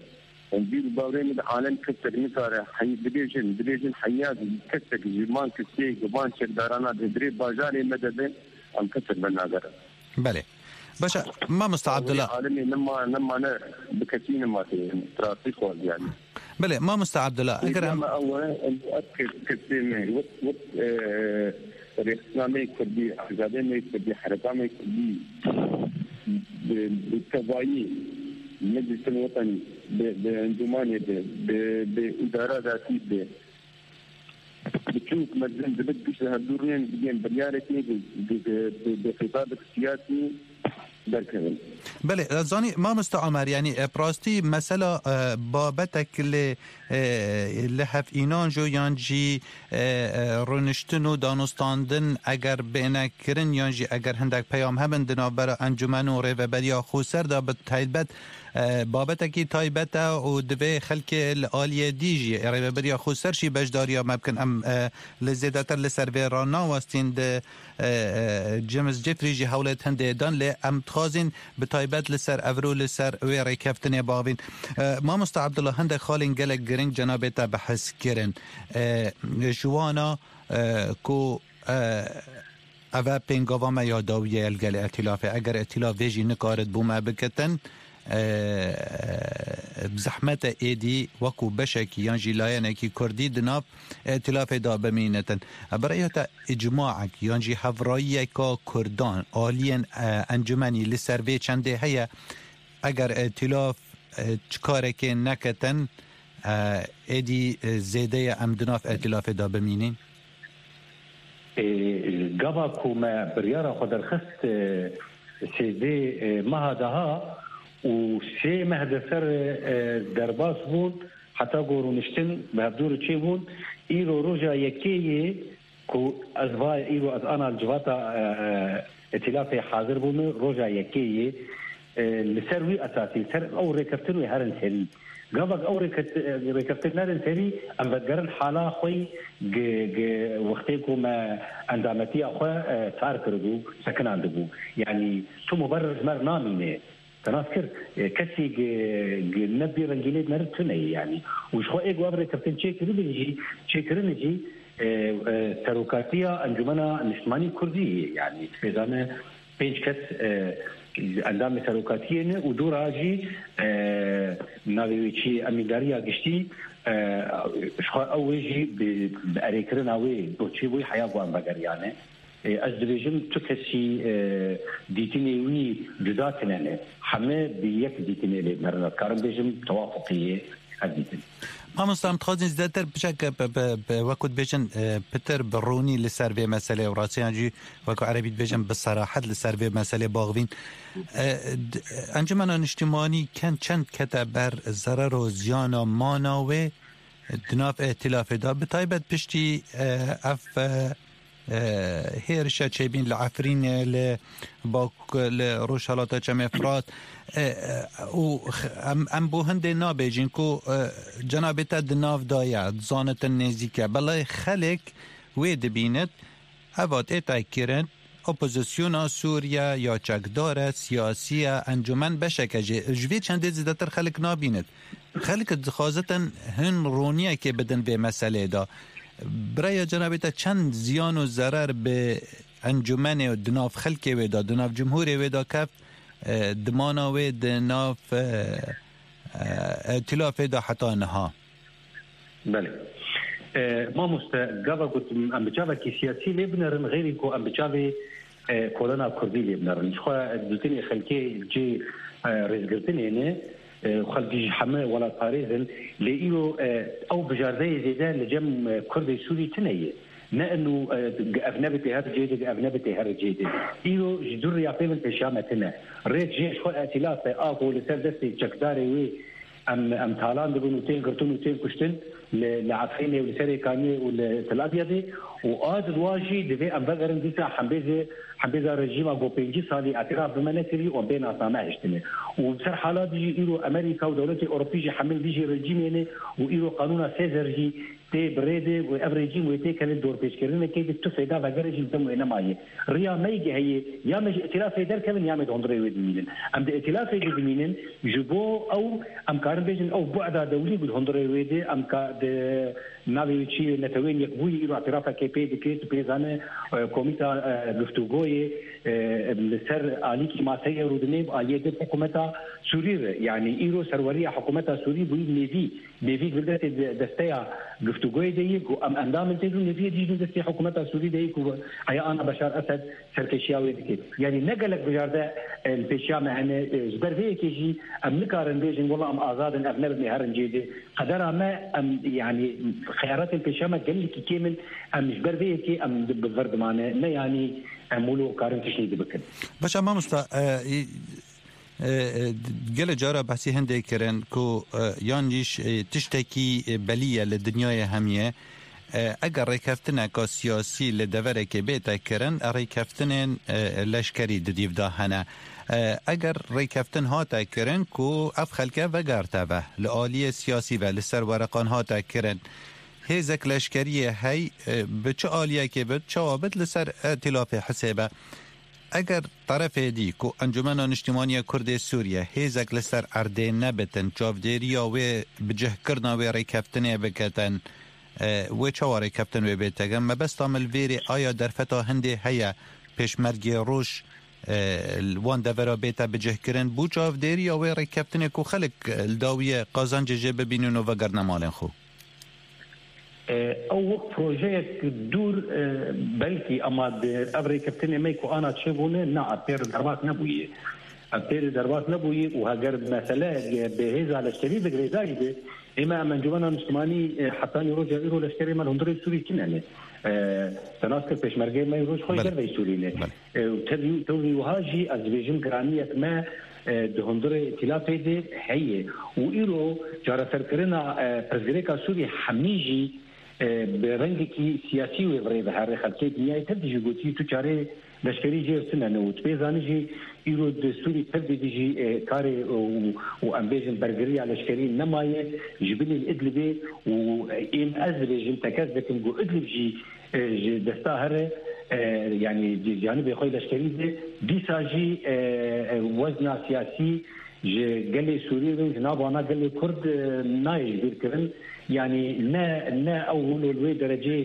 Em bîr û bawerê min de alem kesek nikare heyî bibêjin, bibêjin heya kesek ji van kesê, ji van çekdarana di birê bajarê me de be, em kesek venagerin. Belê. Baş e, mamoste Abdullah. Alemê nema, nema ne bi kesî nema tê, trafîk xwaz yani. Belê, mamoste Abdullah, eger em... Êdî me ew e, em ev kes-, kesê me, wek, wek, e, rêxistina me kurdî, azadê me kurdî, hereka me kurdî, bi, bi tevayî, meclîsin wetanî, bi, bi encûmanê de, bi, bi îdara zatî de, Biçûk mezin dibit giş li hevdû rûyên digên biryarekê bi, bi, bi, bi xîtabek siyasî derkevin. Belê, zanî mamoste Omer, yanî, e, bi rastî mesela, e, babetek li, e, li hev înan jo yan jî, e, e, rûniştin û danûstandin eger bêne kirin yan jî eger hindek peyam hebin di navbera encûmen û rêveberiya xweser de bi taybet E, babetekî taybet e û divê xelkê li aliyê dî jî, Rêveberiya Xweser jî beşdariya me bikin. Em, e, li zêdetir li ser vê re nawestîn di, e, e, James Jeffrey jî hewlêt hindê dan, lê em dixwazîn bi taybet li ser evro, li ser wê rêkeftinê bavîn. E, Mamoste Abdullah, hindek xalên gelek giring cenabê te behs kirin. E, ji wana, e, ku, e, Ev e pêngava me ya dawiyê ye li gel îtîlafê. Eger îtîlaf vê jî nikarit bo me bikitin, e, bi zehmet e êdî wekû beşekî yan jî layenekî kurdî di nav îtîlafê de bimînitin. E, bi rêya te îcmaek yan jî hevrayiyeka kurdan aliyên, e, encûmenî li ser vê çendê heye? Eger îtîlaf, e, çi karekê neketin, e, êdî, e, zêde ye em di nav îtîlafê de bimînin? Ê, gava ku me biryara xwe derxist, e, sêzdeh, e, meha daha û sê meh de ser, e, derbas bûn, heta ku rûniştin bi hevdû re çêbûn, îro roja yekê yê ku ez va îro ez ana li civata, e, e, îtîlafê hazir bûme, roja yekê yê, e, li ser wî esasî, li ser ew rêkeftin wê herin serî. Gavak ew rêket-, rêkeftin nerin serî, em vedigerin hala xwe yî gi, gi wextê ku me endametiya xwe, e, tar kiribû, sekinandibû. Yanî tu muberir ji me re namîne. Te nas kir, e, kesî gi, gi ne vî rengînê di me re tune ye yanî. Û ji xwe ê ku ev rêkeftin çêkiribin jî, çêkirin jî, e, e, serokatiya Encûmena Niştimanî Kurdî ye. Yanî, tu pê zane, pênc kes, e, endamê serokatiyê ne û dû re jî, e, navê wê çi ye, emîndariya giştî, e, ji xwe ew wê jî bi, bi erêkirina wê doçê wê heya ku em vegeriyane. E, ez dibêjim tu kesî, e, dîtinê wî cuda tine ne. Heme bi yek dîtinê lê dimerin. Ez karim bêjim tewafuqî ye ev dîtin. Mamosta, em dixwazin zêdetir piçek bi, bi, bi, wekû dibêjin, e, pitir bi rûnî li ser vê meselê û rastiyan jî wekû erebî dibêjin bi serahet li ser vê meselê baxivîn. E, d-, Encûmena Niştimanî ken çend kete ber zerer û ziyana mana wê di nav îhtilafê de, bi taybet piştî, e, ev, e, e, hêrişa çêbîn li Efrînê, li Bak-, li Rojhelata Çemê Firat, e, e, û x-, em, em bo hindê nabêjin ku, e, cenabê te di nav de ye, zanitin nêzîk e. Belê xelk wê dibînit, eva tê tê kirin, opozisyona Sûriye ya çekdar e, siyasî ye, encûmen beşek e jê. Ji vê çendê zêdetir xelk nabînit. Xelk dixwazitin hin roniyekê bidin vê meselê de. Bi raya cenabê te çend ziyan û zerer bi encûmenê û di nav xelkê wê de, di nav cumhurê wê de keft, e, di mana wê di nav, e, e, îtilafê de heta niha? Belê. E, mamoste, gava ku em bi çavekî siyasî lê binerin, xêrî ku em bi çavê, e, kolona kurdî lê binerin. Ji xwe dîtinê xelkê cê, e, rêzgirtinê ne, e, xelkî ji heme welatparêz in, lê îro, e, ew bijardeyê zêde li cem, e, kurdê Sûrî tune ye. Ne inu, e, ev nebitê her cê de, ev nebitê her cê de. Îro ji dû riya pê min pêşiya me tune. Rêk jê ji xwe îtîlafe a ku li ser destê çekdarê wê em, em talan dibin û tên girtin û tên kuştin li, li Efrînê û li Serê Kaniyê û li Tel Abyadê û a di dua jî divê em vegerin dîsa hembêzê, hembêza rejîma ku pêncî salî îtiraf bi me nekirî û em bê nasname hiştine. Û bi ser hala dijî îro Amerîka û dewletê Ewropî jî hemil dijî rejîmê ne û îro qanûna Sêzer jî tê bi rê de û ev rejîm wê têkeve dorpêçkirinekê de tu fêda vegere jî li dem wê nemaye. Riya me yê heye, ya me ji îtilafê derkevin ya me di hundirê wê dimînin. Em di îtilafê de dimînin, ji bo ew em karin bêjin ew bu'da dewlî ku di hundirê wê de em ka di navê wê çi ye, Neteweyên Yekbûyî îro îtirafekê pê dike, tu pê zane, e, komîta, e, guftûgoyê, e, li ser alîkî maseyê rûdinê, a yê di hikûmeta Sûrî re. Yanî îro serweriya hikûmeta Sûrî bûyî nêvî. Nêvî girgretê de-, desteya guftûgoyê de yê ku em endam in tê dû, nêviyê dî jî destê hikûmeta Sûrî de yê ku heya ana Beşar Esed serkêşiya wê dike. Yanî ne gelek bijarde, e, li pêşiya me hene, e, ji ber vê yekê jî em nikarin bêjin, wela em azad in, ev ne bi me herin cê de. Qedera me, em, yanî xeyaratên pêşiya me gelekî kêm in, em ji ber vê yekê em di-, bi vir dimane, ne yanî em wilo karin tiştê dibikin. Baş e mamosta, e, E, e, gelê cara behsî hindê kirin ku, e, yan jîş, e, tiştekî, e, belî ye li dinyayê hemî ye. E, eger rêkeftineka siyasî li deverekê bête kirin, rêkeftinên, e, leşkerî di dîv de hene. E, eger rêkeftin hate kirin ku ev xelke vegerte ve, li aliyê siyasî ve, li ser wereqan hate kirin, hêzek leşkeriyê hey, e, bi çi aliyekê bit, çawa bit, li ser îtilafê hisêbe. Eger terefê dî ku Encûmena Niştimanî ya Kurdê Sûriye hêzek li ser erdê nebitin, çavdêriya wê bicihkirina wê rêkeftinê biketin, e, wê çawa rêkeftin wê bête kirin? Mebesta min li vêrê aya derfeta hindê heye, pêşmergê roj, e, li wan devera bête bicihkirin, bû çavdêriya wê rêkeftinê ku xelk, e, li dawiyê qazancê jê bibînin û vegerine malên xwe. E, ew wek projeyek dûr, e, belkî, ama di ev rêkeftinê me ku ana çêbûne, na, ev pê re derbas nebûye. Ev pê re derbas nebûye û heger mesele, e, bi hêza leşkerî bi girêdayî be, ê me em Encûmena Niştimanî, e, hetanî roja îro leşkerê me li hundirê Sûrî tune ne. E, te nas kir pêşmergeyê me îro ji xwe Belê. Derveyî Sûrî ne. Belê. E, û tevî, tevî wiha jî ez dibêjim giraniyek me, e, di hundirê îtilafê de heye. Û îro çareserkirina, e, pirsgirêka Sûrî hemî jî, e, bi rengekî siyasî wê bi rê ve here. Xelkê dinyayê tev dijî gotî tu çarê leşkerî jê tune ne. Û tu pê zanî jî îro di Sûrî tev de dijî, e, karê û, û em bêjin bergiriya leşkerî nemaye ji binê Idlibê û, e, ên ez dibêjim tekez dikim ku Idlib jî e, ji desta here, e, yanî di canibê xwe leşkerî de, dîsa jî, e, e, wezna siyasî ji gelê Sûrî re û ji nav wana gelê Kurd, e, nayê ji bîr kirin. Yanî ne, ne ew wilo li wê derecê,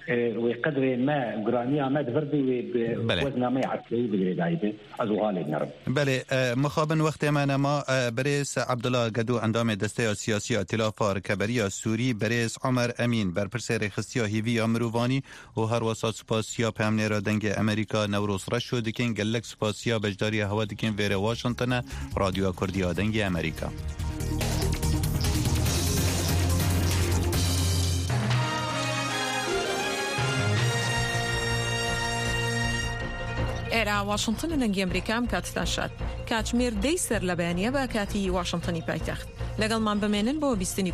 e, wê qedrê me, giraniya me di vir de wê bi Belê. Wezna me yê eskerî bi girêdayî be. Ez wiha lê dinerim. Belê, e, mixabin wextê me nema, e, birêz Abdullah Gedo, endamê Desteya Siyasî ya Îtîlafa Rikeberiya Sûrî, birêz Omer Emîn, berpirsê rêxistiya hîvî ya mirovanî û herwesa spasiya peyamnêra Dengê Amerîka Newroz Reşo dikin, gelek spasiya beşdariya hewa dikin vêrê Washington e, Radyoya Kurdî ya Dengê Amerîka. ئێرە واشنگتن لە دەنگی ئەمریکا ئەم کاتتان شاد. کاتژمێر دەی سەر لە بەیانیە بە کاتی واشنگتنی پایتەخت. لەگەڵمان بمێنن بۆ بیستنی